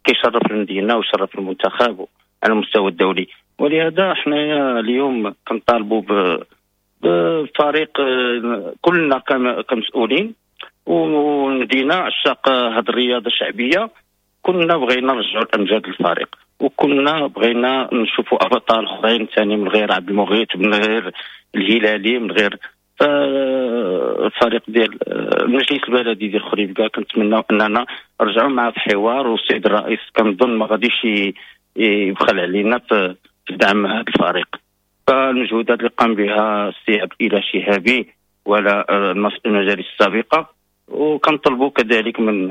كيشرف المدينة ويشرف المنتخب على المستوى الدولي. ولهذا حنايا اليوم كنطالبوا بفريق كلنا كمسؤولين والمدينة عشاق هذه الرياضة الشعبية، كنا بغينا نرجعوا الامجاد للفريق، وكنا بغينا نشوفوا ابطال اخرين ثاني من غير عبد المغيث، من غير الهلالي، من غير الفريق ديال المجلس البلدي ديال خريبكا. كنتمناو اننا نرجعوا معاه في حوار، والسيد الرئيس كنظن ما غاديش يبخل علينا في دعم هذا الفريق. فالمجهودات اللي قام بها السي عبد الاله شهابي ولا المجالس السابقة، وكنطلبوا كذلك من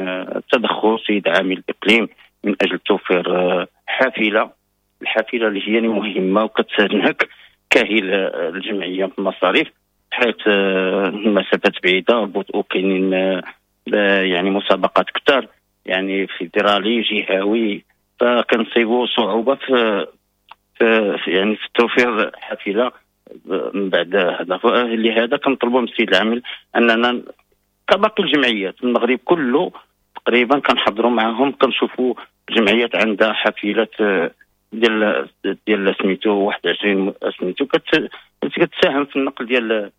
تدخل سيد عامل الاقليم من اجل توفير حافلة، الحافلة اللي هي مهمة وكتنهك كاهل الجمعية في المصاريف، حيث المسافات بعيدة وكاينين يعني مسابقات كثار يعني فيدرالي جهوي، فكنصيبوا صعوبة في يعني في توفير حافلة من بعد هذا. لهذا كنطلبوا من السيد العامل اننا كباقي الجمعيات المغرب كله تقريبا كنحضروا معهم، كنشوفوا جمعيات عندها حافلات ديال سميتو 21 سميتو كتساهم في النقل ديال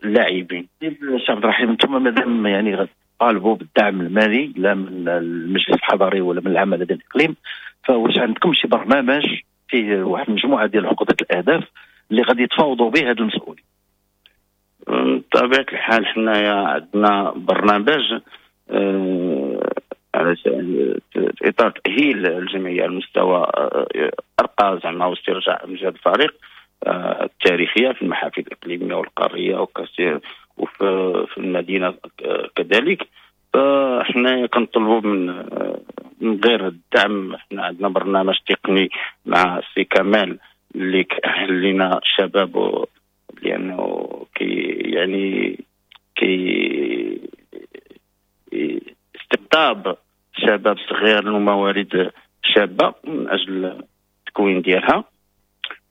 اللاعبين. سي عبد الرحيم، انتم مادام يعني غتطالبوا بالدعم المالي لا من المجلس الحضري ولا من العمالة ديال الاقليم، فواش عندكم شي برنامج فيه واحد المجموعة ديال عقده الاهداف اللي غادي يتفاوضوا به هاد المسؤولين؟ بطبيعة الحال حنايا عندنا برنامج على في اطار تاهيل الجمعية على المستوى ارقى زعما واسترجاع امجاد الفريق التاريخية في المحافل الاقليمية والقاريه وكثير وفي المدينة كذلك. فاحنا كنطلبوا من غير الدعم، حنا عندنا برنامج تقني مع السي كمال اللي كأهل لنا الشباب، لانه كي يعني كي استقطاب شباب صغير وموارد شابه من اجل التكوين ديالها.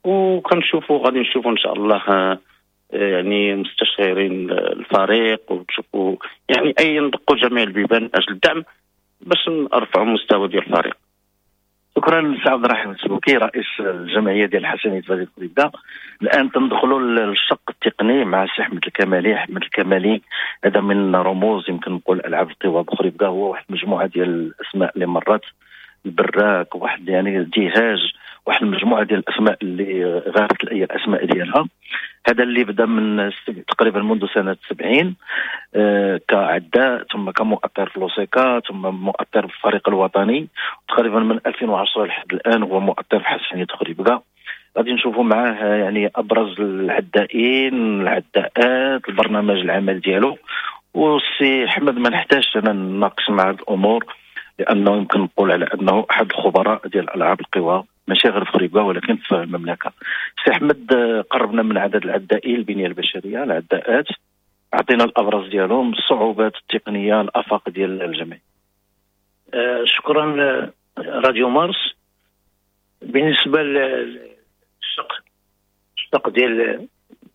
وكنشوفوا غادي نشوفوا ان شاء الله يعني مستشارين الفريق، وتشوفوا يعني اي ندقوا جميع البيبان من اجل الدعم باش نرفعوا المستوى ديال الفريق. شكرا سي عبد الرحيم السبوكي رئيس الجمعية ديال الحسنيه بلديه خريبكة. الان تندخلوا للشق التقني مع السي احمد الكمالي. احمد الكمالي هذا من رموز يمكن نقول العاب القوى بخريبكة، هو واحد المجموعة ديال الاسماء اللي مرات البراك، واحد يعني ديهاج، واحد المجموعة ديال الاسماء اللي غابت الاسماء ديالها. هذا اللي بدا من تقريبا منذ سنة 70 كعداء، ثم كمؤطر في لوسيكا، ثم مؤطر في الفريق الوطني، تقريبا من 2010 لحد الان هو مؤطر في حسنيه خريبكا. غادي نشوفوا معاه يعني ابرز العدائين، العداءات، البرنامج العمل ديالو. والسي احمد ما نحتاجش انا نناقش مع هذه الامور، لانه يمكن نقول على انه احد الخبراء ديال العاب القوى، ماشي غير في خريبكا ولكن في المملكة. سي احمد قربنا من عدد العدائين، البنية البشرية، العداءات، اعطينا الابرز ديالهم، الصعوبات التقنية، الافاق ديال الجميع. شكرا راديو مارس. بالنسبة للشق ديال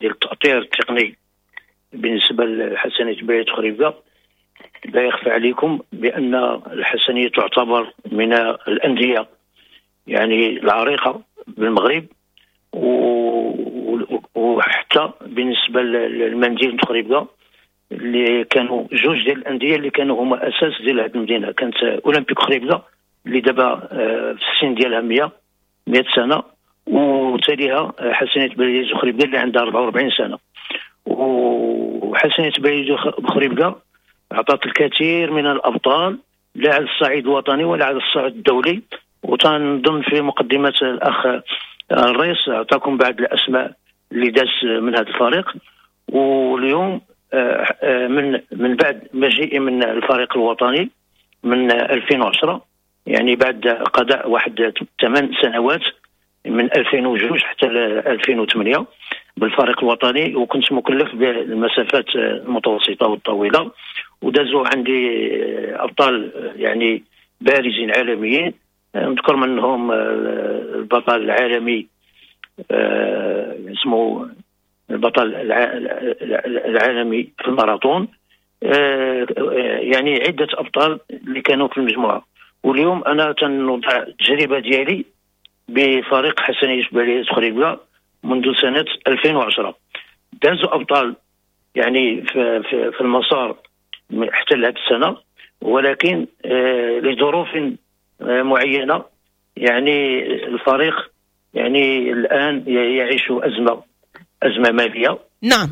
التأطير التقني بالنسبة للحسنيه بلديه خريبكا، لا يخفى عليكم بان الحسنيه تعتبر من الاندية يعني العريقه بالمغرب، وحتى بالنسبة للمدينة خريبكا اللي كانوا جوج ديال الاندية اللي كانوا هما اساس ديال هذه المدينة، كانت اولمبيك خريبكا اللي دابا في السن ديالها 100 سنة، وتاليها حسنيه بلديه خريبكا اللي عندها 44 سنة. وحسنيه بلديه خريبكا عطات الكثير من الابطال، لا على الصعيد الوطني ولا على الصعيد الدولي، وتنظن في مقدمه الاخ الرئيس اعطاكم بعض الاسماء اللي داز من هذا الفريق. واليوم من بعد مجيئي من الفريق الوطني من 2010، يعني بعد قضاء واحد 8 سنوات من 2002 حتى 2008 بالفريق الوطني، وكنت مكلف بالمسافات المتوسطة والطويله، ودازوا عندي ابطال يعني بارزين عالميين، نذكر منهم البطل العالمي اسمه البطل العالمي في الماراثون، يعني عده ابطال اللي كانوا في المجموعة. واليوم انا تنوضع التجربة ديالي بفريق حسنيه بلديه خريبكا منذ سنة 2010. دازوا ابطال يعني في المسار حتى لهذه السنة، ولكن لظروف معينة يعني الفريق يعني الان يعيش ازمة ماليه. نعم.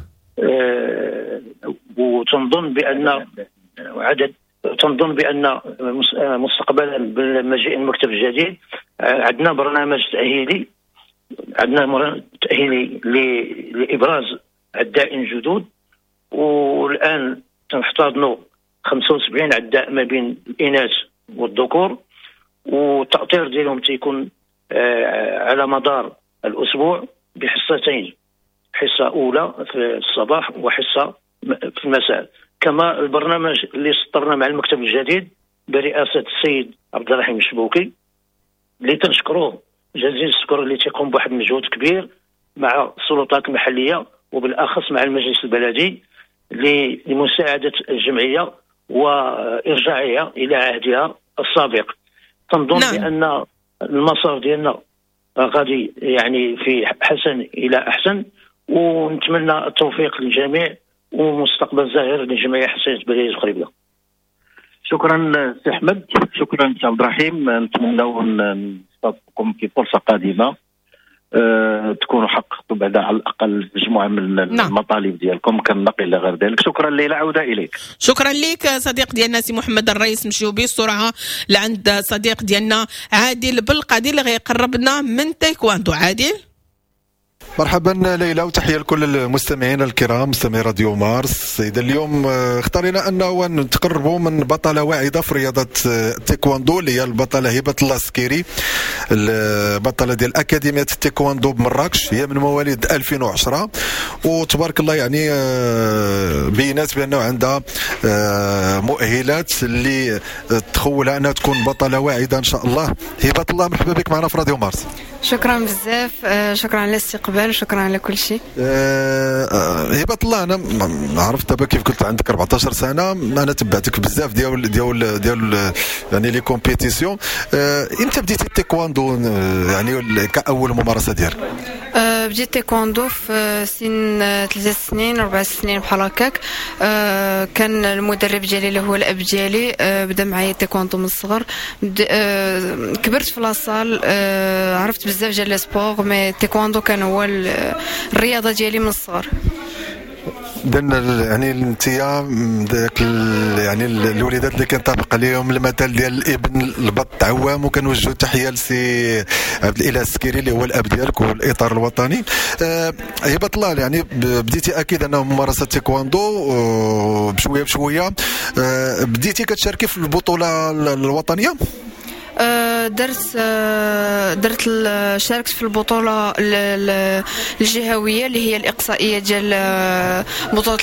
وتنظن بان تنظن بان مستقبلا بالمجيء المكتب الجديد عندنا برنامج تاهيلي، عندنا تاهيلي لابراز عدائين جدد، والان تنحتضنوا 75 عداء ما بين الاناث والذكور، والتأطير ديالهم تيكون على مدار الاسبوع بحصتين، حصة اولى في الصباح وحصه في المساء. كما البرنامج اللي سطرنا مع المكتب الجديد برئاسة السيد عبد الرحيم الشبوكي اللي تنشكروه جزيل الشكر، اللي تيقوم بواحد المجهود كبير مع السلطات المحلية وبالاخص مع المجلس البلدي لمساعده الجمعية وارجاعها الى عهدها السابق. تنظن نعم. بان المسار ديالنا غادي يعني في حسن الى احسن، ونتمنى التوفيق للجميع ومستقبل زاهر للجمعية حسنيه بلديه خريبكا. شكرا سي احمد، شكرا سي عبد الرحيم، نتمنوا نستضيفكم في فرصة قادمة تكونوا حققتوا بعدا على الاقل مجموعة من المطالب ديالكم كالنقل الى غير ذلك. شكرا ليلى، عوده اليك. شكرا لك صديق ديالنا سي محمد الرئيس. نمشيو بسرعة لعند صديق ديالنا عادل بالقادي اللي غيقربنا من تايكواندو. عادل. مرحبا ليلى، وتحية لكل المستمعين الكرام مستمعي راديو مارس. اذا اليوم اختارينا انه نتقربوا من بطلة واعده في رياضة التايكواندو اللي هي البطلة هبه الله السكيري، البطلة ديال اكاديمية التايكواندو بمراكش، هي من مواليد 2010، وتبارك الله يعني بينات بانه عندها مؤهلات اللي تخولها انها تكون بطلة واعده ان شاء الله. هبه الله، مرحبا بك معنا في راديو مارس. شكرا بزاف، شكرا على الاستقبال، شكرا على كل شيء. هبه الله، انا عرفت دابا كيف قلت عندك 14 سنة، انا تبعتك بزاف ديال ديال ديال يعني les compétitions. امتى بديتي التايكواندو يعني كاول ممارسة ديالك؟ بديت تايكواندو في سن 3 سنين 4 سنين بحال هكاك. كان المدرب ديالي اللي هو الاب ديالي بدا معايا تايكواندو من الصغر. كبرت في la salle، عرفت بزاف ديال les sports، mais تيكواندو كان هو الرياضة ديالي من الصغر. اذا يعني انت ذاك يعني الوليدات اللي كنطبق عليهم المثل ديال الابن البط عوام، وكنوجهوا التحية لسي عبد الاله السكيري اللي هو الاب ديالك والاطار الوطني. هبه الله، يعني بديتي اكيد انه ممارسة تيكواندو بشوية بشوية، بديتي كتشاركي في البطولة الوطنية؟ درت شاركت في البطولة الجهوية اللي هي الإقصائية ديال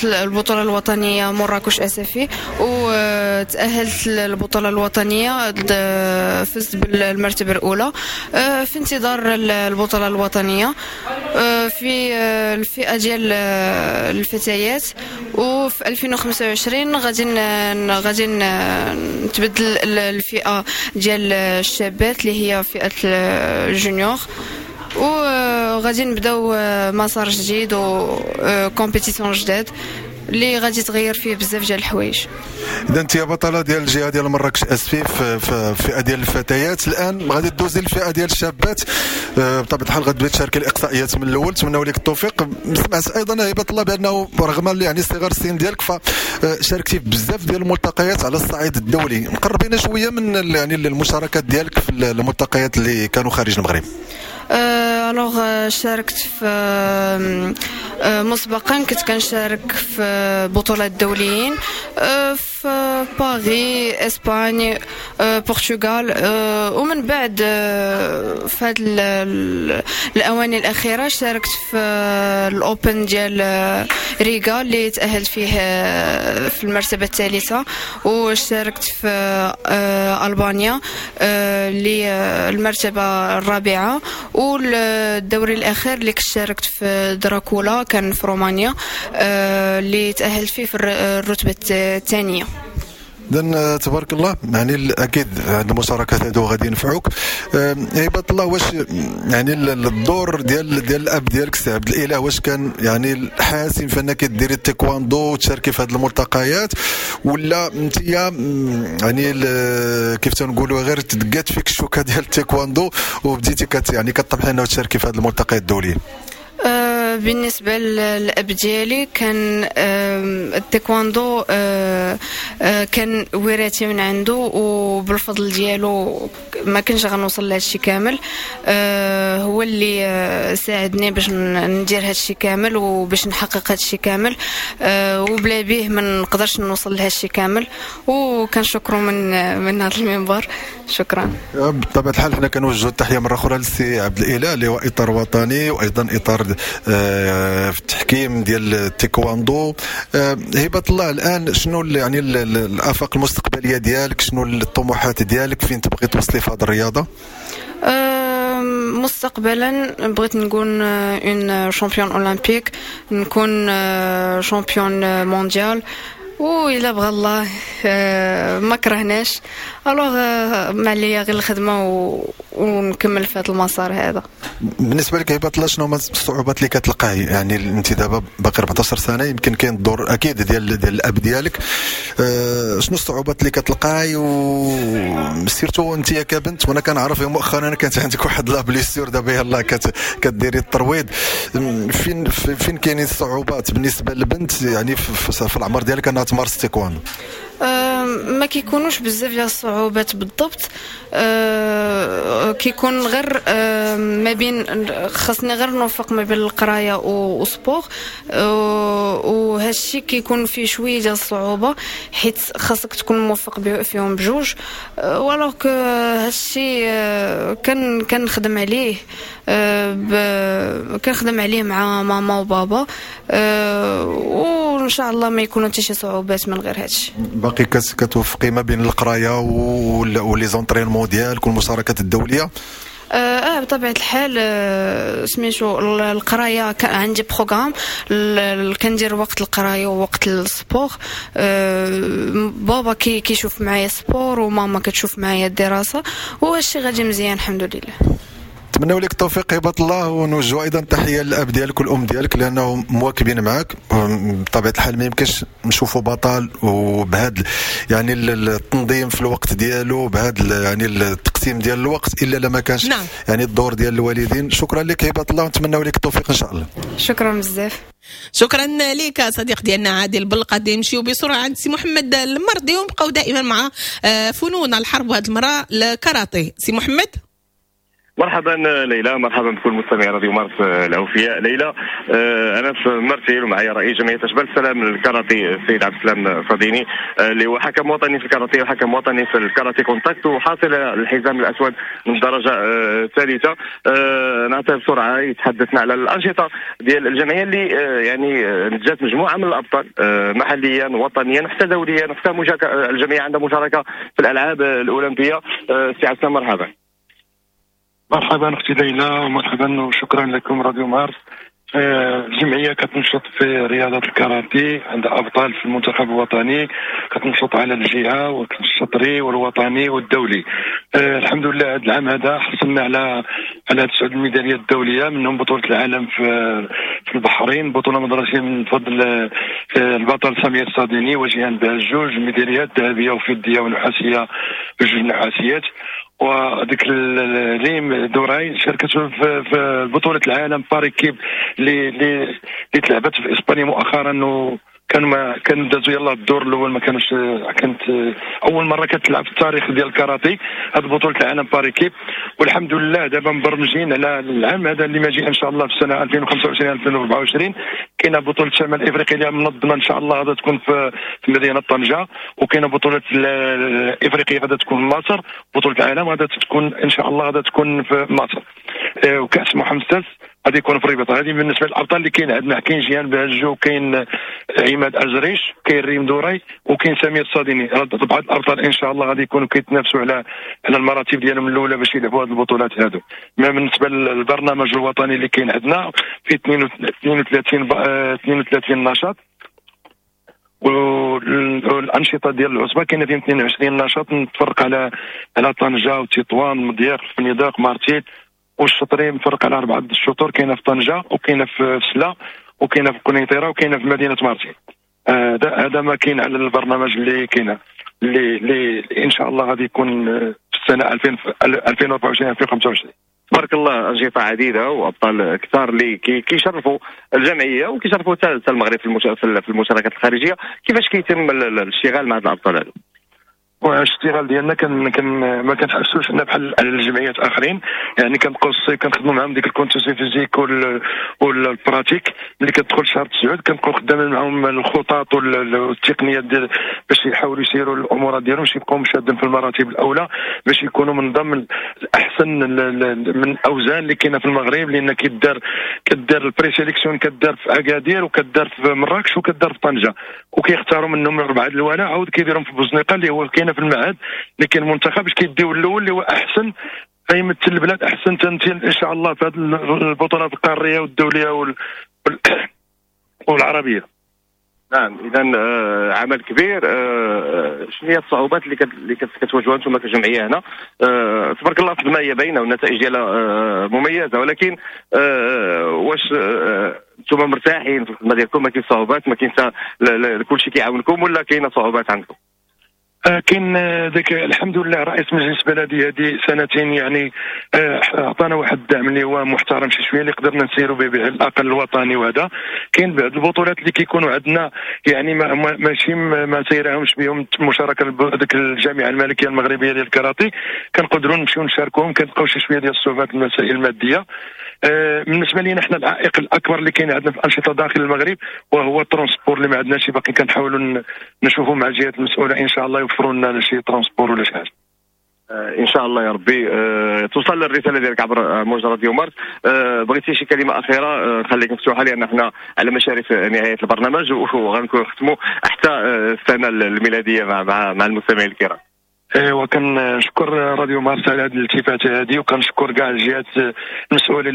البطولة الوطنية مراكش أسفي، وتأهلت للبطولة الوطنية، فزت بالمرتبة الأولى في انتظار البطولة الوطنية في الفئة ديال الفتيات. وفي 2025 غادي نتبدل الفئة ديال الشابات اللي هي فئة ال junior، وغادي نبداو مسار جديد و compétition جداد اللي غادي تغير فيه بزاف ديال الحوايج. اذا انت بطلة ديال الجهة ديال مراكش اسفي في الفئة ديال الفتيات، الان غادي دوزي الفئة ديال الشابات، بطبيعة الحال غتبداي تشاركي الاقصائيات من الاول. نتمنوا لك التوفيق. سمعت ايضا هبه الله بانه رغم يعني صغر السن ديالك فشاركتي في بزاف ديال الملتقيات على الصعيد الدولي، مقربين شوية من يعني المشاركات ديالك في الملتقيات اللي كانوا خارج المغرب. alors شاركت في مسبقا، كنت كنشارك في بطولات دوليين في باريس، اسبانيا، البرتغال، ومن بعد في هاد الاواني الاخيرة شاركت في ال Open ديال ريغا اللي تاهلت فيه في المرتبة الثالثة، وشاركت في البانيا اللي المرتبة الرابعة، والدوري الاخير اللي كنت شاركت في دراكولا كان في رومانيا اللي تاهلت فيه في الرتبة الثانية. اذا تبارك الله، يعني اكيد هاد المشاركات هادو غادي ينفعوك. هبه الله، واش يعني الدور ديال الاب ديالك سي عبد الاله واش كان يعني حاسم في انك ديري التايكواندو وتشاركي في هاد الملتقيات، ولا انت يعني كيف تنقولوا غير تدقات فيك الشوكة ديال التايكواندو وبديتي يعني كطمحي انه تشاركي في هاد الملتقيات الدولية؟ بالنسبة للأب ديالي كان التايكواندو كان وراثي من عنده، وبالفضل ديالو ما كنتش غنوصل لهادشي كامل. هو اللي ساعدني باش ندير هادشي كامل وباش نحقق هادشي كامل، وبلا به ما نقدرش نوصل لهادشي كامل، وكنشكرو من هذا المنبر. شكرا. بطبيعة الحال حنا كنوجهوا التحية مرة أخرى للسي عبد الإله اللي هو إطار وطني وأيضا إطار في التحكيم ديال التايكواندو. هبه الله، الان شنو يعني الافاق المستقبلية ديالك، شنو الطموحات ديالك، فين تبغي توصلي في هذه الرياضة؟ مستقبلا بغيت نكون une championne olympique، نكون championne mondiale، وإلا بغى الله ما كرهناش. alors ما عليا غير الخدمة ونكمل في هذا المسار هذا. بالنسبة لك هبه الله، شنو هما الصعوبات اللي كتلقاي؟ يعني انت دابا باقي 14 سنة، يمكن كاين الدور اكيد ديال الاب ديالك، شنو الصعوبات اللي كتلقاي، و surtout انت كبنت؟ وانا كنعرف مؤخرا كانت عندك واحد la blessure، دابا يلاه كديري الترويض، فين كاينين الصعوبات بالنسبة للبنت يعني في العمر ديالك انها تمارس التايكواندو؟ ما كيكونوش بزاف ديال الصعوبات بالضبط، كيكون غير ما بين خاصني غير نوفق ما بين القراية و sport، وهادشي كيكون فيه شوية ديال الصعوبة حيت خاصك تكون موفق فيهم بجوج. ولكن هادشي كنخدم عليه، كنخدم عليه مع ماما وبابا، وان شاء الله ما يكونوا حتى شي صعوبات من غير هادشي. باقي كتوفقي ما بين القراية و les entraînements ديالك والمشاركات الدولية؟ بطبيعة الحال سميتو القراية عندي programme، كندير وقت القراية ووقت ال sport. بابا كيشوف معايا sport وماما كتشوف معايا الدراسة، وهادشي غادي مزيان الحمد لله. نتمنوا لك التوفيق هبه الله، ونوجهوا ايضا تحية للاب ديالك والام ديالك لانهم مواكبين معك. بطبيعة الحال ما يمكنش نشوفوا بطل وبهذا يعني التنظيم في الوقت ديالو، بهذا يعني التقسيم ديال الوقت، الا لما كانش يعني الدور ديال الوالدين. شكرا لك هبه الله، ونتمنوا لك التوفيق ان شاء الله. شكرا بزاف. شكرا لك صديق ديالنا عادل بالقديم. نمشيو بسرعة عند سي محمد المرضي ونبقاو دائما مع فنون الحرب، وهذه المرة الكاراتيه. سي محمد. مرحبا ليلى، مرحبا بكل مستمعي راديو مارس الاوفياء. ليلى، انا في مرتيل ومعي رئيس جمعية اشبال السلام للكاراتيه السيد عبد السلام صديني، اللي هو حكم وطني في الكاراتيه وحكم وطني في الكاراتيه contact وحاصل الحزام الاسود من الدرجة الثالثة. نعطيه بسرعة يتحدثنا على الانشطة ديال الجمعية اللي يعني نتجت مجموعة من الابطال محليا وطنيا حتى دوليا، حتى الجمعية عندها مشاركة في الالعاب الاولمبية. سي عبد السلام مرحبا. مرحبا اختي ليلى، ومرحبا وشكرا لكم راديو مارس. الجمعية كتنشط في رياضة الكاراتيه، عندها ابطال في المنتخب الوطني، كتنشط على الجهة والشطري والوطني والدولي. الحمد لله هذا العام هذا حصلنا على 9 الميداليات الدولية، منهم بطوله العالم في البحرين، بطوله مدرسيه من فضل البطل سمير الصاديني وجيهان بهجوج، ميداليات ذهبية وفضيه ونحاسيه بجوج نحاسيات. وديك ريم دوراي شاركت في بطولة العالم par équipe اللي تلعبت في اسبانيا مؤخرا، وكان ما كان دازوا يلاه الدور الاول، ما كانوش، كانت اول مرة كتلعب في التاريخ ديال الكاراتيه هذه بطوله العالم par équipe. والحمد لله دابا مبرمجين على العام هذا اللي ماجي ان شاء الله في السنة 2025 2024 كاينه بطوله شمال افريقيا اللي منظمة ان شاء الله غادا تكون في مدينة طنجه، وكاينه بطوله افريقيا غادا تكون في مصر، بطوله العالم غادا تكون ان شاء الله غادا تكون في مصر، وكاس محمد السادس غادي يكون في الرباط. هذه بالنسبة للابطال اللي كاين عندنا، كاين جيهان بهجو، كاين عماد ازريش، كاين ريم دوراي، وكاين سمير الصاديني. بعض الابطال ان شاء الله غادي يكونوا كيتنافسوا على المراتب ديالهم الاولى باش يلعبوا هذه البطولات هادو. ما بالنسبة للبرنامج الوطني اللي كاين عندنا في 32 نشاط، والانشطه ديال العصبة كاينه فيهم 22 نشاط متفرق على طنجه وتطوان مضيق فنيدق مارتيل، والشطري مفرق على 4 الشطور، كاينه في طنجه وكاينه في سلا وكاينه في قنيطره وكاينه في مدينة مارتيل. هذا ما كاين على البرنامج اللي كاين اللي ان شاء الله غادي يكون في السنة 2024 2025. تبارك الله انشطة عديدة وابطال كثار اللي كيشرفوا الجمعية وكيشرفوا حتى المغرب في المشاركات الخارجية. كيفاش كيتم الاشتغال مع هاد الابطال هادو؟ والاشتغال ديالنا كان ما كنحسوش حنا بحال الجمعيات اخرين، يعني كنبقاو الصيف كنخدموا معاهم ديك ال condition physique وال pratique. ملي كتدخل شهر 9 كنبقاو خدامين معاهم الخطط والتقنيات ديال باش يحاولوا يسيروا الامور ديالهم، باش يبقاو مشادين في المراتب الاولى، باش يكونوا من ضمن الاحسن من الاوزان اللي كاينه في المغرب. لان كدار ال présélection كدار في اكادير وكدار في مراكش وكدار في طنجه، وكيختاروا منهم 4 الاولى، عاود كيديرهم في بوزنيقه اللي هو كاين في المعهد اللي كاين المنتخب، باش كيديو الاول اللي هو احسن غيمثل البلاد احسن تمثيل ان شاء الله في هذه البطولات القارية والدولية والعربية. نعم، اذا عمل كبير. شنو هي الصعوبات اللي كتواجهوها انتم كجمعية هنا؟ تبارك الله الخدمة هي باينة والنتائج ديالها مميزة، ولكن واش انتم مرتاحين في الخدمة ديالكم؟ ما كاين صعوبات، ما كاين كلشي كيعاونكم، ولا كاينه صعوبات عندكم؟ كاين ذاك الحمد لله رئيس مجلس بلدي هذه سنتين يعني اعطانا واحد الدعم اللي هو محترم شي شوية اللي قدرنا نسيروا به على الاقل الوطني. وهذا كاين بعض البطولات اللي كيكونوا عندنا يعني ماشي ما سيرهمش بهم المشاركة ذاك الجامعة الملكية المغربية ديال الكاراتيه، كنقدروا نمشيو نشاركوهم، كنلقاو شي شوية ديال الصعوبات المسائل المادية. بالنسبة لينا حنا العائق الاكبر اللي كاين عندنا في الانشطة داخل المغرب وهو ال transport اللي ما عندناش، باقي كنحاولوا نشوفوا مع الجهات المسؤولة ان شاء الله يوفروا لنا شي transport ولا شي حاجة. ان شاء الله يا ربي توصل الرسالة ديالك عبر موجة راديو مارس. بغيتي شي كلمة اخيرة خليك مفتوحة، لان حنا على مشارف نهاية البرنامج وغنكون نختموا حتى السنة الميلادية مع المستمعين الكرام. ايوا كنشكر راديو مارس على هذه الالتفاته هذه، وكنشكر كاع الجهات المسؤولة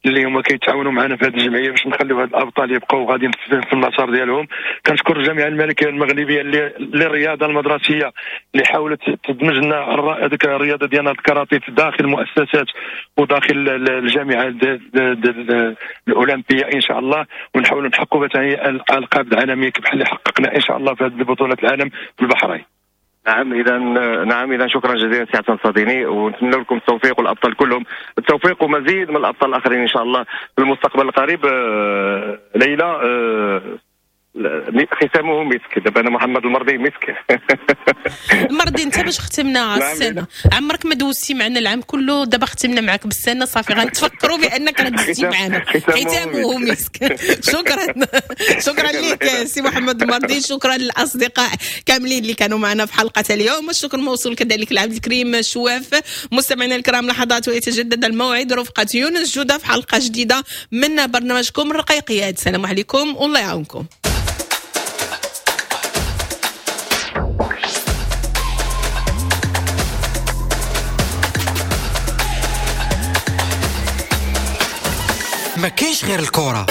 اللي هما كيتعاونوا معنا في هذه الجمعية باش نخليو هاد الابطال يبقاو غاديين في المسار ديالهم. كنشكر الجامعة الملكية المغربية للرياضة المدرسية اللي حاولت تدمج لنا هذيك الرياضة ديالنا الكاراتيه في داخل المؤسسات وداخل الجامعة الاولمبية ان شاء الله، ونحاولوا نحققوا مثلا الالقاب العالمية بحال اللي حققنا ان شاء الله في هذه بطوله العالم في البحرين. نعم اذا شكرا جزيلا سي عبد الصديني، ونتمنى لكم التوفيق والابطال كلهم التوفيق ومزيد من الابطال الاخرين ان شاء الله في المستقبل القريب. ليلى، ختامه مسك، دابا انا محمد المرضي مسك. المرضي انت باش ختمنا السنة، عمرك ما دوزتي معنا العام كله، دابا ختمنا معك بالسنة صافي غنتفكروا بانك راه دوزتي معنا، ختامه مسك. شكرا لك سي محمد المرضي، شكرا للاصدقاء كاملين اللي كانوا معنا في حلقة اليوم، الشكر موصول كذلك لعبد الكريم شواف. مستمعينا الكرام، لحظات ويتجدد الموعد رفقه يونس جوده في حلقة جديدة من برنامجكم الرقيقيات. السلام عليكم والله يعاونكم. ما كاينش غير الكرة.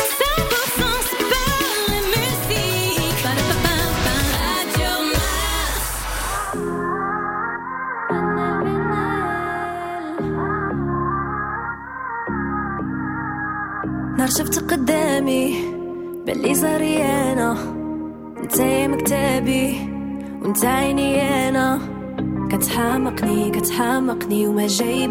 نهار شفت قدامي بلي زاري انا، انت يا مكتبي وانت عيني انا، كتحامقني كتحامقني وما جايب